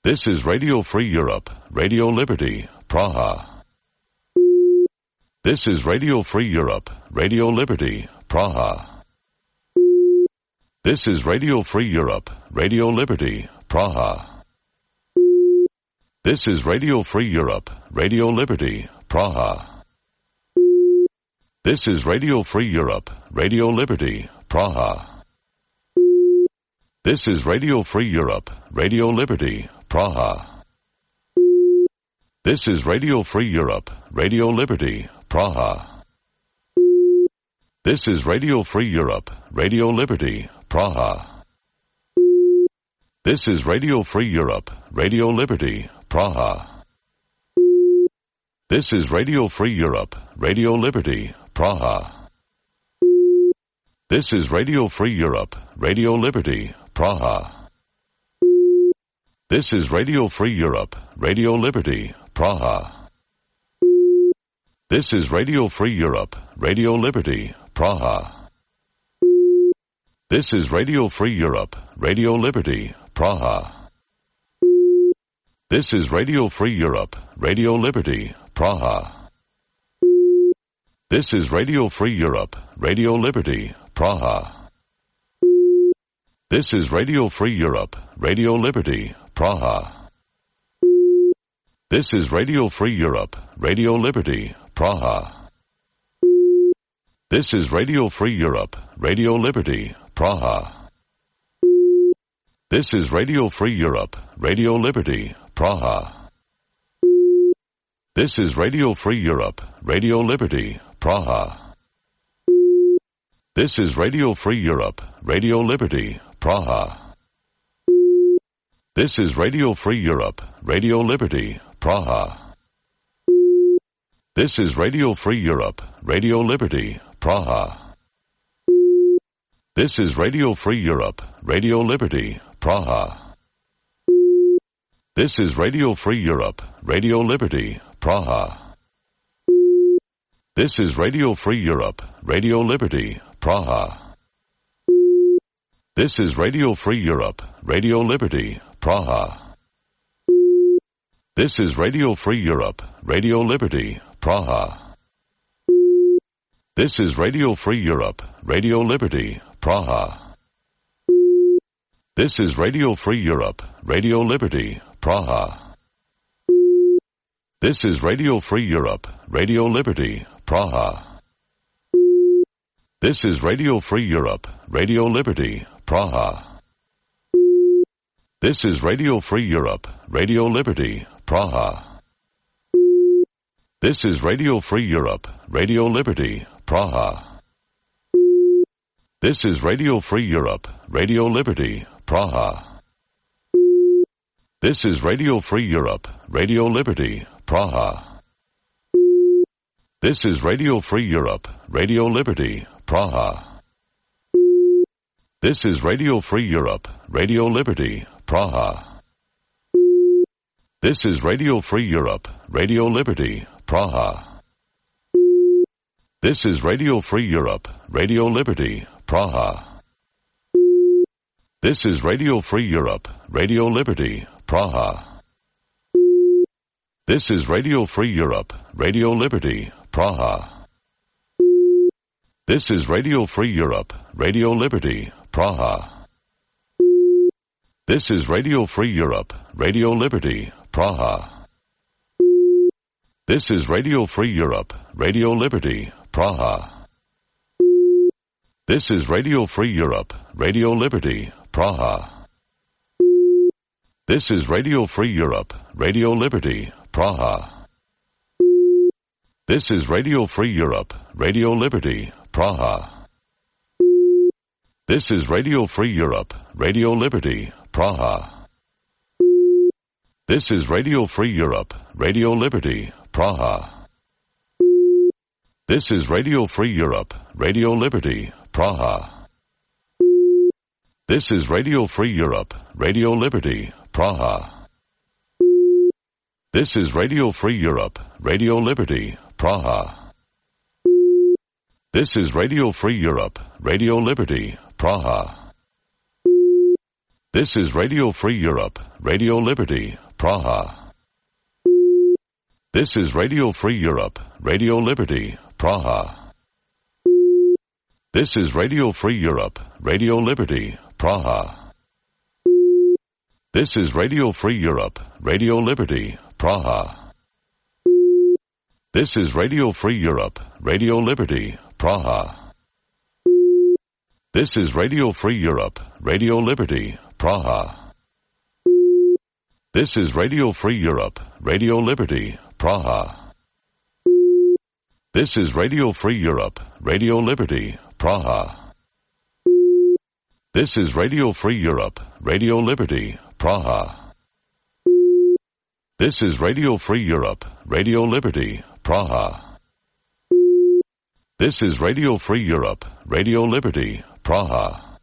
This is Radio Free Europe, Radio Liberty, Praha. This is Radio Free Europe, Radio Liberty, Praha. This is Radio Free Europe, Radio Liberty, Praha. This is Radio Free Europe, Radio Liberty, Praha. This is Radio Free Europe, Radio Liberty, Praha. This is Radio Free Europe, Radio Liberty, Praha. This is Radio Free Europe, Radio Liberty, Praha. This is Radio Free Europe, Radio Liberty, Praha. This is Radio Free Europe, Radio Liberty, Praha. This is Radio Free Europe, Radio Liberty, Praha. This is Radio Free Europe, Radio Liberty, Praha. This is Radio Free Europe, Radio Liberty, Praha. This is Radio Free Europe, Radio Liberty, Praha. This is Radio Free Europe, Radio Liberty, Praha. This is Radio Free Europe, Radio Liberty, Praha. This is Radio Free Europe, Radio Liberty, Praha. This is Radio Free Europe, Radio Liberty, Praha. This is Radio Free Europe, Radio Liberty, Praha. This is Radio Free Europe, Radio Liberty, Praha. This is Radio Free Europe, Radio Liberty, Praha. This is Radio Free Europe, Radio Liberty, Praha. This is Radio Free Europe, Radio Liberty, Praha. This is Radio Free Europe, Radio Liberty, Praha. This is Radio Free Europe, Radio Liberty, Praha. This is Radio Free Europe, Radio Liberty, Praha. This is Radio Free Europe, Radio Liberty, Praha. This is Radio Free Europe, Radio Liberty, Praha. This is Radio Free Europe, Radio Liberty, Praha. This is Radio Free Europe, Radio Liberty, Praha. This is Radio Free Europe, Radio Liberty, Praha. This is Radio Free Europe, Radio Liberty, Praha. This is Radio Free Europe, Radio Liberty, Praha. This is Radio Free Europe, Radio Liberty, Praha. This is Radio Free Europe, Radio Liberty, Praha. This is Radio Free Europe, Radio Liberty, Praha. This is Radio Free Europe, Radio Liberty, Praha. This is Radio Free Europe, Radio Liberty, Praha. This is Radio Free Europe, Radio Liberty, Praha. This is Radio Free Europe, Radio Liberty, Praha. This is Radio Free Europe, Radio Liberty, Praha. This is Radio Free Europe, Radio Liberty, Praha. This is Radio Free Europe, Radio Liberty, Praha. This is Radio Free Europe, Radio Liberty, Praha. This is Radio Free Europe, Radio Liberty, Praha. This is Radio Free Europe, Radio Liberty, Praha. This is Radio Free Europe, Radio Liberty, Praha. This is Radio Free Europe, Radio Liberty, Praha. This is Radio Free Europe, Radio Liberty, Praha. This is Radio Free Europe, Radio Liberty, Praha. This is Radio Free Europe, Radio Liberty, Praha. This is Radio Free Europe, Radio Liberty, Praha. This is Radio Free Europe, Radio Liberty, Praha. This is Radio Free Europe, Radio Liberty, Praha. This is Radio Free Europe, Radio Liberty, Praha. This is Radio Free Europe, Radio Liberty, Praha. This is Radio Free Europe, Radio Liberty, Praha. This is Radio Free Europe, Radio Liberty, Praha. This is Radio Free Europe, Radio Liberty, Praha. This is Radio Free Europe, Radio Liberty, Praha. This is Radio Free Europe, Radio Liberty, Praha. This is Radio Free Europe, Radio Liberty, Praha. This is Radio Free Europe, Radio Liberty, Praha. This is Radio Free Europe, Radio Liberty, Praha. This is Radio Free Europe, Radio Liberty, Praha. This is Radio Free Europe, Radio Liberty, Praha. This is Radio Free Europe, Radio Liberty, Praha.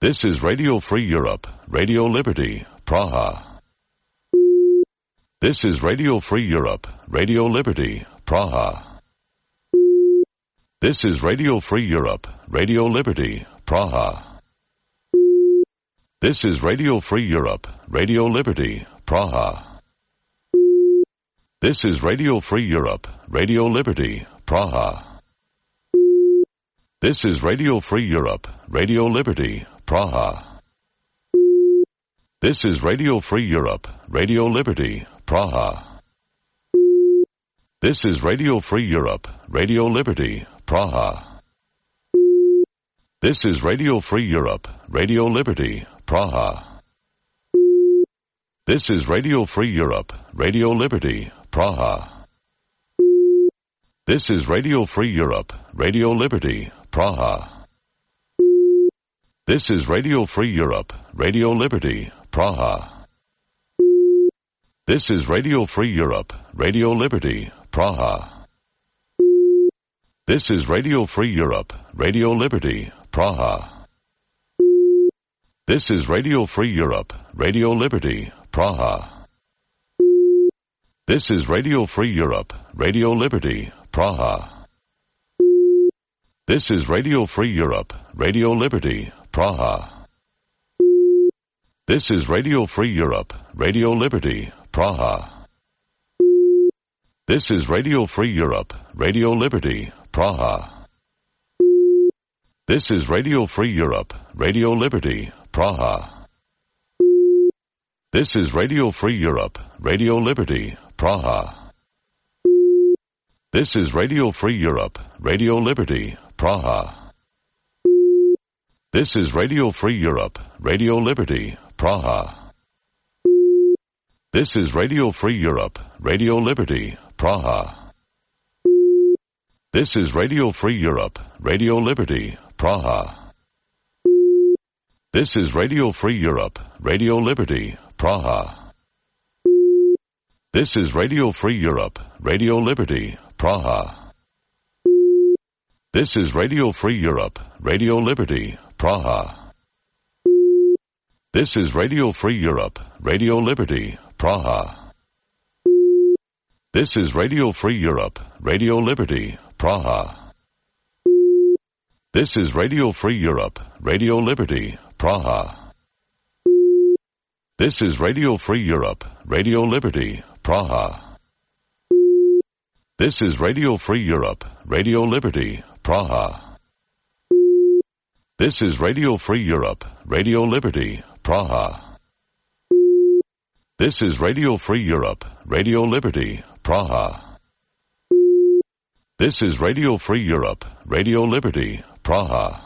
This is Radio Free Europe, Radio Liberty, Praha. This is Radio Free Europe, Radio Liberty, Praha. This is Radio Free Europe, Radio Liberty, Praha. This is Radio Free Europe, Radio Liberty, Praha. This is Radio Free Europe, Radio Liberty, Praha. This is Radio Free Europe, Radio Liberty, Praha. This is Radio Free Europe, Radio Liberty, Praha. This is Radio Free Europe, Radio Liberty, Praha. This is Radio Free Europe, Radio Liberty, Praha. This is Radio Free Europe, Radio Liberty, Praha. This is Radio Free Europe, Radio Liberty, Praha. This is Radio Free Europe, Radio Liberty, Praha. This is Radio Free Europe, Radio Liberty, Praha. This is Radio Free Europe, Radio Liberty, Praha. This is Radio Free Europe, Radio Liberty, Praha. This is Radio Free Europe, Radio Liberty, Praha. This is Radio Free Europe, Radio Liberty, Praha. This is Radio Free Europe, Radio Liberty, Praha. This is Radio Free Europe, Radio Liberty, Praha. This is Radio Free Europe, Radio Liberty, Praha. This is Radio Free Europe, Radio Liberty, Praha. This is Radio Free Europe, Radio Liberty, Praha. This is Radio Free Europe, Radio Liberty, Praha. This is Radio Free Europe, Radio Liberty, Praha. This is Radio Free Europe, Radio Liberty, Praha. This is Radio Free Europe, Radio Liberty, Praha. This is Radio Free Europe, Radio Liberty, Praha. This is Radio Free Europe, Radio Liberty, Praha. This is Radio Free Europe, Radio Liberty, Praha. This is Radio Free Europe, Radio Liberty, Praha. This is Radio Free Europe, Radio Liberty, Praha. This is Radio Free Europe, Radio Liberty, Praha. This is Radio Free Europe, Radio Liberty, Praha. This is Radio Free Europe, Radio Liberty, Praha. This is Radio Free Europe, Radio Liberty, Praha. This is Radio Free Europe, Radio Liberty, Praha.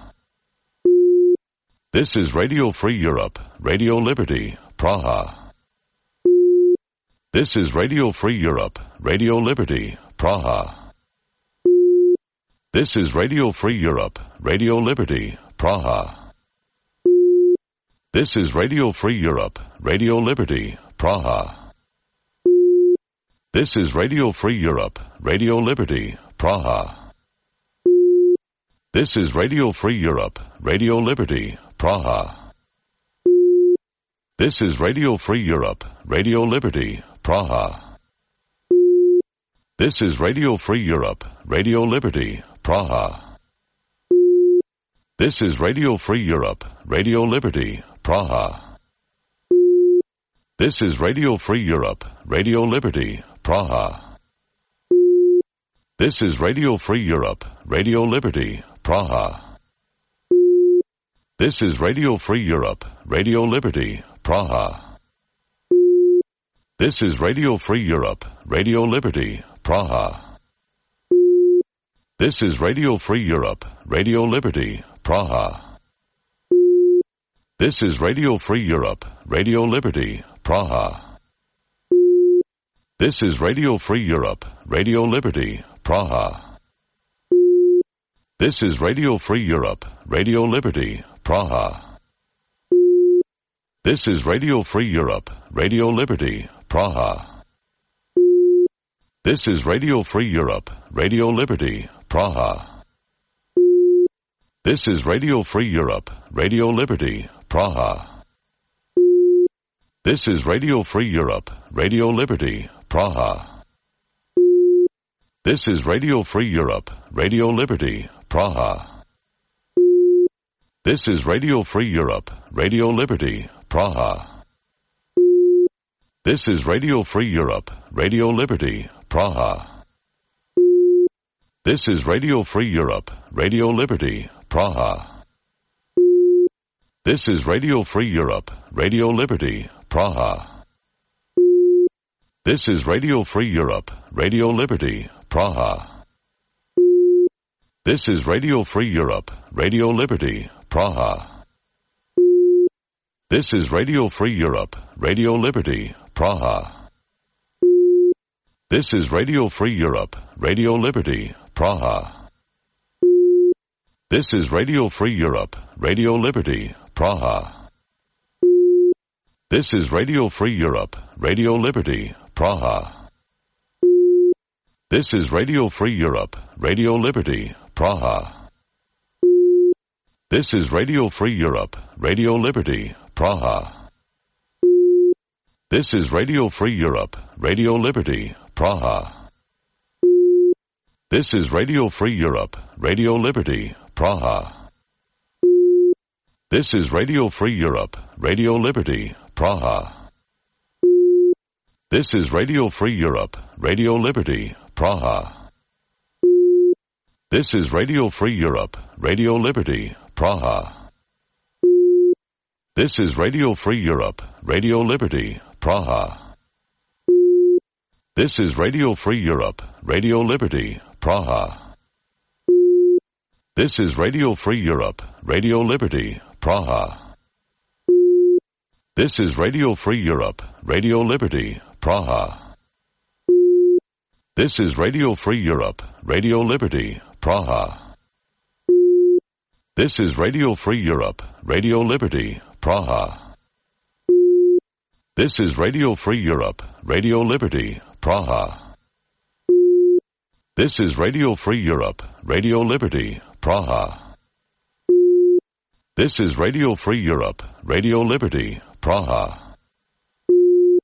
This is Radio Free Europe, Radio Liberty, Praha. This is Radio Free Europe, Radio Liberty, Praha. This is Radio Free Europe, Radio Liberty, Praha. This is Radio Free Europe, Radio Liberty, Praha. This is Radio Free Europe, Radio Liberty, Praha. This is Radio Free Europe, Radio Liberty, Praha. This is Radio Free Europe, Radio Liberty, Praha. This is Radio Free Europe, Radio Liberty, Praha. This is Radio Free Europe, Radio Liberty, Praha. This is Radio Free Europe, Radio Liberty, Praha. This is Radio Free Europe, Radio Liberty, Praha. This is Radio Free Europe, Radio Liberty, Praha. This is Radio Free Europe, Radio Liberty, Praha. This is Radio Free Europe, Radio Liberty, Praha. This is Radio Free Europe, Radio Liberty, Praha. This is Radio Free Europe, Radio Liberty, Praha. This is Radio Free Europe, Radio Liberty, Praha. This is Radio Free Europe, Radio Liberty, Praha. This is Radio Free Europe, Radio Liberty, Praha. This is Radio Free Europe, Radio Liberty, Praha. This is Radio Free Europe, Radio Liberty, Praha. This is Radio Free Europe, Radio Liberty, Praha. This is Radio Free Europe, Radio Liberty, Praha. This is Radio Free Europe, Radio Liberty, Praha. This is Radio Free Europe, Radio Liberty, Praha. This is Radio Free Europe, Radio Liberty, Praha. This is Radio Free Europe, Radio Liberty, Praha. This is Radio Free Europe, Radio Liberty, Praha. This is Radio Free Europe, Radio Liberty, Praha. This is Radio Free Europe, Radio Liberty, Praha. This is Radio Free Europe, Radio Liberty, Praha. This is Radio Free Europe, Radio Liberty, Praha. This is Radio Free Europe, Radio Liberty, Praha. This is Radio Free Europe, Radio Liberty, Praha. This is Radio Free Europe, Radio Liberty, Praha. This is Radio Free Europe, Radio Liberty, Praha. This is Radio Free Europe, Radio Liberty, Praha. This is Radio Free Europe, Radio Liberty, Praha. This is Radio Free Europe, Radio Liberty, Praha. This is Radio Free Europe, Radio Liberty, Praha. This is Radio Free Europe, Radio Liberty, Praha. This is Radio Free Europe, Radio Liberty, Praha. This is Radio Free Europe, Radio Liberty, Praha. This is Radio Free Europe, Radio Liberty, Praha. This is Radio Free Europe, Radio Liberty, Praha. This is Radio Free Europe, Radio Liberty, Praha. This is Radio Free Europe, Radio Liberty, Praha.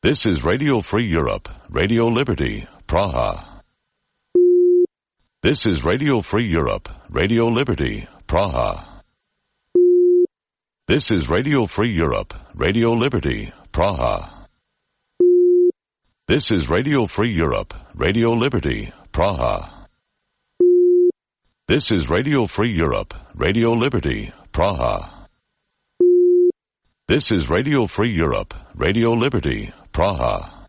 This is Radio Free Europe, Radio Liberty, Praha. This is Radio Free Europe, Radio Liberty, Praha. This is Radio Free Europe, Radio Liberty, Praha. This is Radio Free Europe, Radio Liberty, Praha. This is Radio Free Europe, Radio Liberty, Praha. This is Radio Free Europe, Radio Liberty, Praha. This is Radio Free Europe, Radio Liberty, Praha.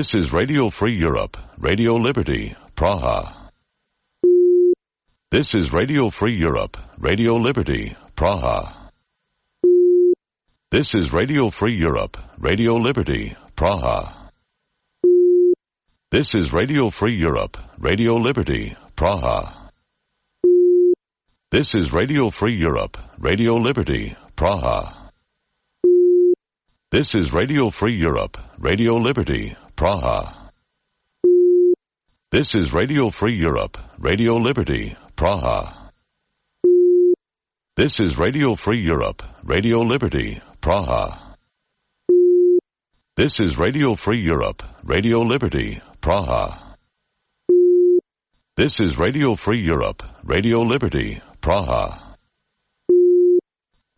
This is Radio Free Europe, Radio Liberty, Praha. This is Radio Free Europe, Radio Liberty, Praha. This is Radio Free Europe, Radio Liberty, Praha. This is Radio Free Europe, Radio Liberty, Praha. This is Radio Free Europe, Radio Liberty, Praha. This is Radio Free Europe, Radio Liberty, Praha. This is Radio Free Europe, Radio Liberty, Praha. This is Radio Free Europe, Radio Liberty, Praha. This is Radio Free Europe, Radio Liberty, Praha. This is Radio Free Europe, Radio Liberty, Praha.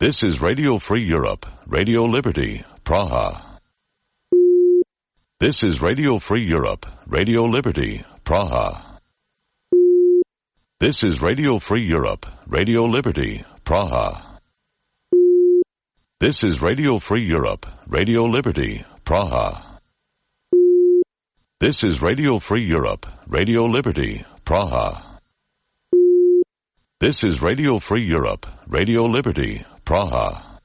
This is Radio Free Europe, Radio Liberty, Praha. This is Radio Free Europe, Radio Liberty, Praha. This is Radio Free Europe, Radio Liberty, Praha. This is Radio Free Europe, Radio Liberty, Praha. This is Radio Free Europe, Radio Liberty, Praha. This is Radio Free Europe, Radio Liberty, Praha.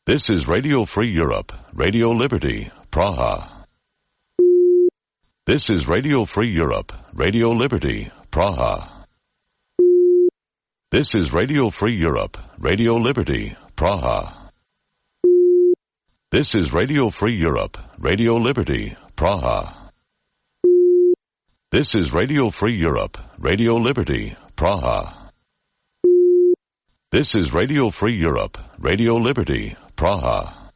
This is Radio Free Europe, Radio Liberty, Praha. This is Radio Free Europe, Radio Liberty, Praha. This is Radio Free Europe, Radio Liberty, Praha. This is Radio Free Europe, Radio Liberty, Praha. This is Radio Free Europe, Radio Liberty, Praha. This is Radio Free Europe, Radio Liberty, Praha.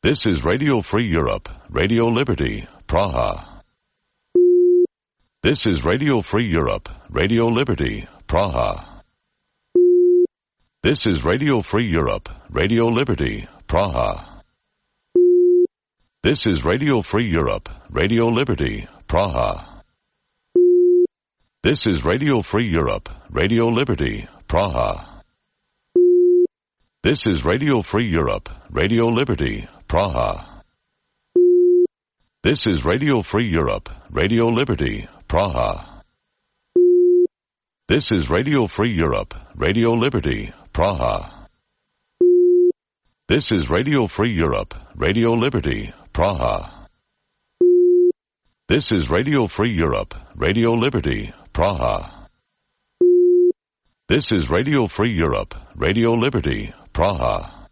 This is Radio Free Europe, Radio Liberty, Praha. This is Radio Free Europe, Radio Liberty, Praha. This is Radio Free Europe, Radio Liberty, Praha. This is Radio Free Europe, Radio Liberty, Praha. This is Radio Free Europe, Radio Liberty, Praha. This is Radio Free Europe, Radio Liberty, Praha. This is Radio Free Europe, Radio Liberty, Praha. This is Radio Free Europe, Radio Liberty, Praha. This is Radio Free Europe, Radio Liberty, Praha. This is Radio Free Europe, Radio Liberty, Praha. This is Radio Free Europe, Radio Liberty, Praha.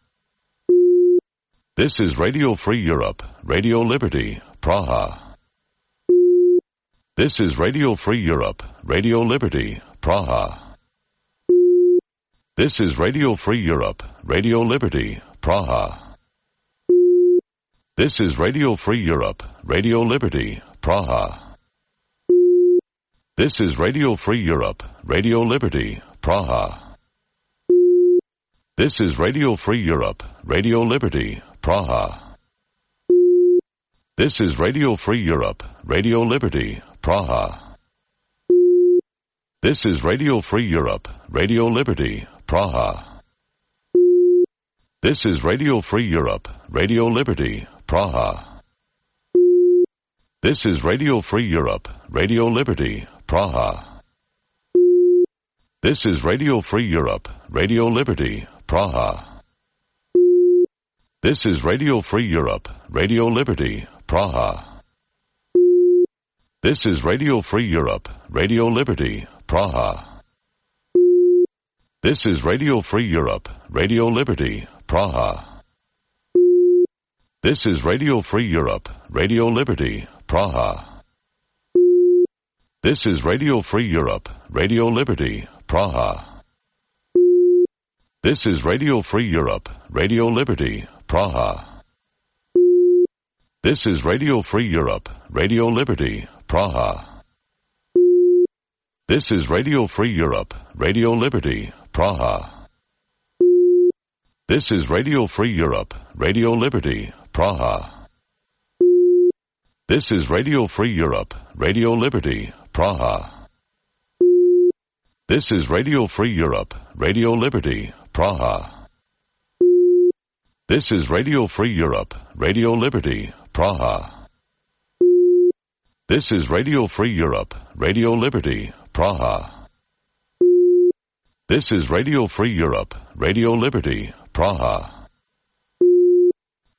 This is Radio Free Europe, Radio Liberty, Praha. This is Radio Free Europe, Radio Liberty, Praha. This is Radio Free Europe, Radio Liberty, Praha. This is Radio Free Europe, Radio Liberty, Praha. This is Radio Free Europe, Radio Liberty, Praha. This is Radio Free Europe, Radio Liberty, Praha. This is Radio Free Europe, Radio Liberty, Praha. This is Radio Free Europe, Radio Liberty, Praha. This is Radio Free Europe, Radio Liberty, Praha. This is Radio Free Europe, Radio Liberty, Praha. This is Radio Free Europe, Radio Liberty, Praha. This is Radio Free Europe, Radio Liberty, Praha. This is Radio Free Europe, Radio Liberty, Praha. This is Radio Free Europe, Radio Liberty, Praha. This is Radio Free Europe, Radio Liberty, Praha. This is Radio Free Europe, Radio Liberty, Praha. This is Radio Free Europe, Radio Liberty, Praha. This is Radio Free Europe, Radio Liberty, Praha. This is Radio Free Europe, Radio Liberty, Praha. This is Radio Free Europe, Radio Liberty, Praha. This is Radio Free Europe, Radio Liberty, Praha. This is Radio Free Europe, Radio Liberty, Praha. This is Radio Free Europe, Radio Liberty, Praha. This is Radio Free Europe, Radio Liberty, Praha. This is Radio Free Europe, Radio Liberty, Praha.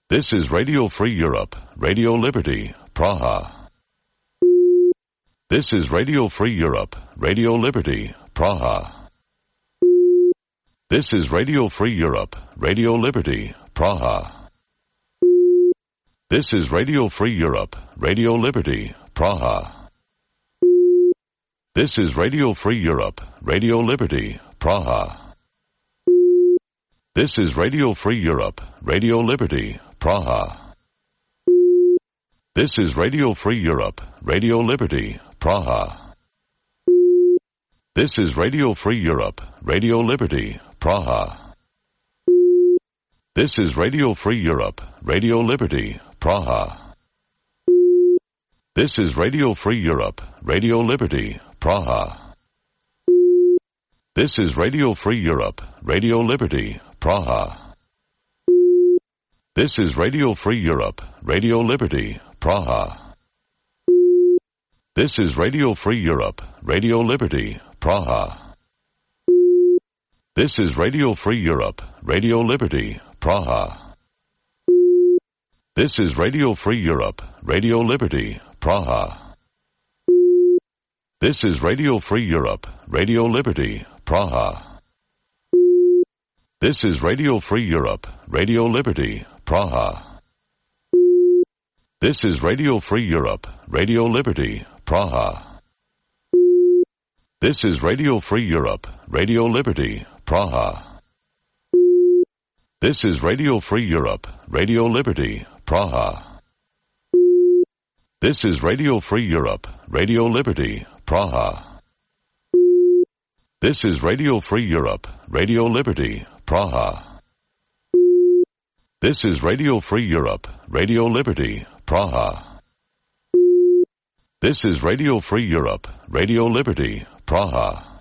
This is Radio Free Europe, Radio Liberty, Praha. This is Radio Free Europe, Radio Liberty, Praha. This is Radio Free Europe, Radio Liberty, Praha. This is Radio Free Europe, Radio Liberty, Praha. This is Radio Free Europe, Radio Liberty, Praha. This is Radio Free Europe, Radio Liberty, Praha. This is Radio Free Europe, Radio Liberty, Praha. This is Radio Free Europe, Radio Liberty, Praha. This is Radio Free Europe, Radio Liberty, Praha. This is Radio Free Europe, Radio Liberty, Praha. This is Radio Free Europe, Radio Liberty, Praha. This is Radio Free Europe, Radio Liberty, Praha. This is Radio Free Europe, Radio Liberty, Praha. This is Radio Free Europe, Radio Liberty, Praha. This is Radio Free Europe, Radio Liberty, Praha. This is Radio Free Europe, Radio Liberty, Praha. This is Radio Free Europe, Radio Liberty, Praha. This is Radio Free Europe, Radio Liberty, Praha. This is Radio Free Europe, Radio Liberty, Praha. This is Radio Free Europe, Radio Liberty, Praha. This is Radio Free Europe, Radio Liberty, Praha. This is Radio Free Europe, Radio Liberty, Praha. This is Radio Free Europe, Radio Liberty, Praha. This is Radio Free Europe, Radio Liberty, Praha.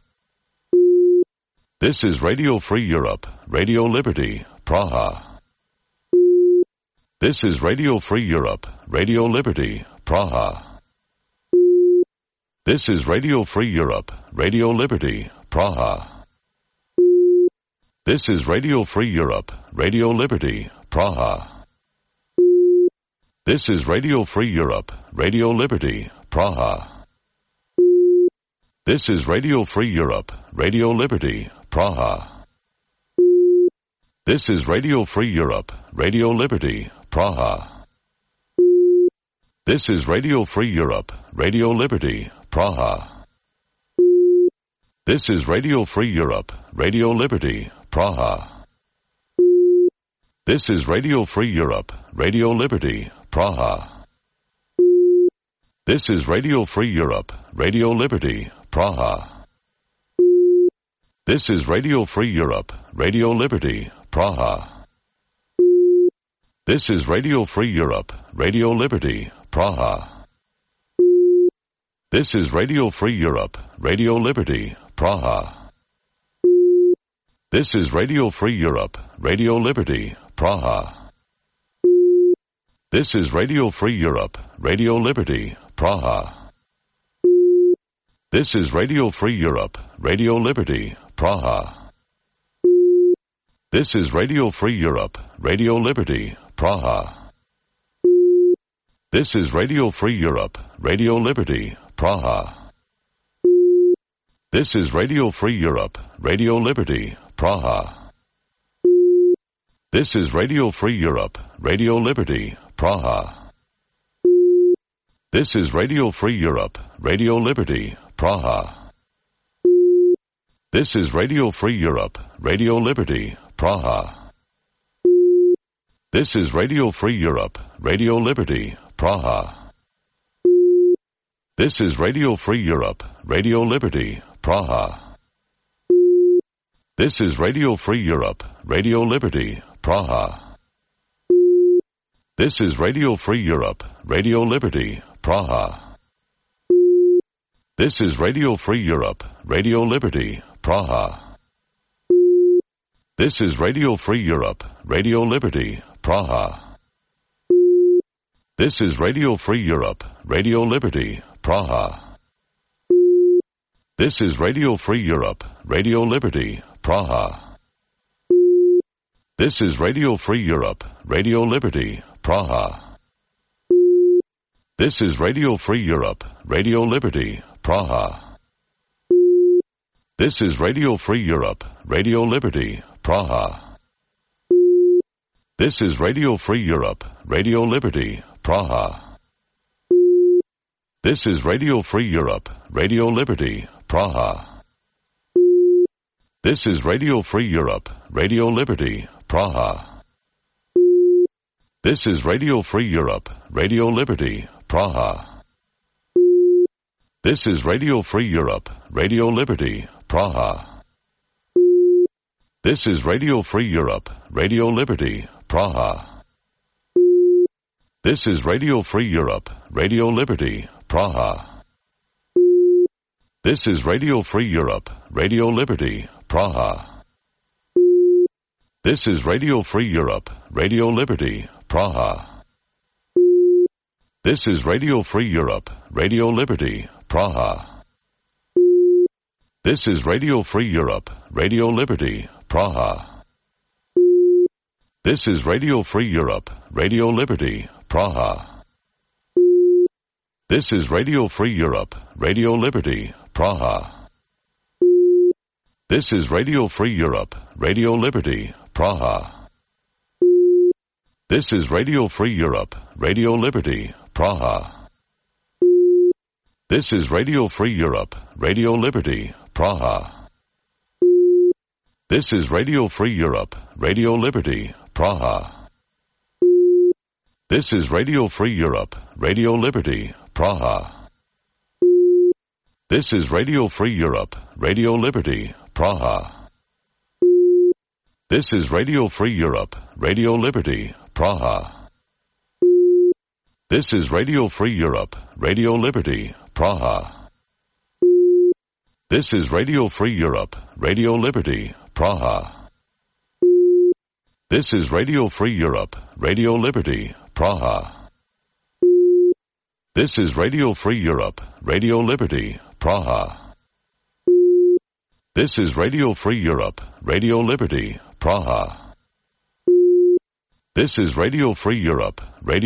This is Radio Free Europe, Radio Liberty, Praha. This is Radio Free Europe, Radio Liberty, Praha. This is Radio Free Europe, Radio Liberty, Praha. This is Radio Free Europe, Radio Liberty, Praha. This is Radio Free Europe, Radio Liberty, Praha. This is Radio Free Europe, Radio Liberty, Praha. This is Radio Free Europe, Radio Liberty, Praha. This is Radio Free Europe, Radio Liberty, Praha. This is Radio Free Europe, Radio Liberty, Praha. This is Radio Free Europe, Radio Liberty, Praha. This is Radio Free Europe, Radio Liberty, Praha. This is Radio Free Europe, Radio Liberty, Praha. This is Radio Free Europe, Radio Liberty, Praha. This is Radio Free Europe, Radio Liberty, Praha. This is Radio Free Europe, Radio Liberty, Praha. This is Radio Free Europe, Radio Liberty, Praha. This is Radio Free Europe, Radio Liberty, Praha. This is Radio Free Europe, Radio Liberty, Praha. This is Radio Free Europe, Radio Liberty, Praha. This is Radio Free Europe, Radio Liberty, Praha. This is Radio Free Europe, Radio Liberty, Praha. This is Radio Free Europe, Radio Liberty, Praha. This is Radio Free Europe, Radio Liberty, Praha. This is Radio Free Europe, Radio Liberty, Praha. This is Radio Free Europe, Radio Liberty, Praha. This is Radio Free Europe, Radio Liberty, Praha. This is Radio Free Europe, Radio Liberty, Praha. This is Radio Free Europe, Radio Liberty, Praha. This is Radio Free Europe, Radio Liberty, Praha. This is Radio Free Europe, Radio Liberty, Praha. This is Radio Free Europe, Radio Liberty, Praha. This is Radio Free Europe, Radio Liberty, Praha. This is Radio Free Europe, Radio Liberty, Praha. This is Radio Free Europe, Radio Liberty, Praha. This is Radio Free Europe, Radio Liberty, Praha. This is Radio Free Europe, Radio Liberty, Praha. This is Radio Free Europe, Radio Liberty, Praha. This is Radio Free Europe, Radio Liberty, Praha. This is Radio Free Europe, Radio Liberty, Praha. This is Radio Free Europe, Radio Liberty, Praha. This is Radio Free Europe, Radio Liberty, Praha. This is Radio Free Europe, Radio Liberty, Praha. This is Radio Free Europe, Radio Liberty, Praha. This is Radio Free Europe, Radio Liberty, Praha. This is Radio Free Europe, Radio Liberty, Praha. This is Radio Free Europe, Radio Liberty, Praha. This is Radio Free Europe, Radio Liberty, Praha. This is Radio Free Europe, Radio Liberty, Praha. This is Radio Free Europe, Radio Liberty, Praha. This is Radio Free Europe, Radio Liberty, Praha. This is Radio Free Europe, Radio Liberty, Praha. This is Radio Free Europe, Radio Liberty, Praha. This is Radio Free Europe, Radio Liberty, Praha. This is Radio Free Europe, Radio Liberty, Praha. This is Radio Free Europe, Radio Liberty, Praha. This is Radio Free Europe, Radio Liberty, Praha. This is Radio Free Europe, Radio Liberty, Praha. This is Radio Free Europe, Radio Liberty, Praha. This is Radio Free Europe, Radio Liberty, Praha. This is Radio Free Europe, Radio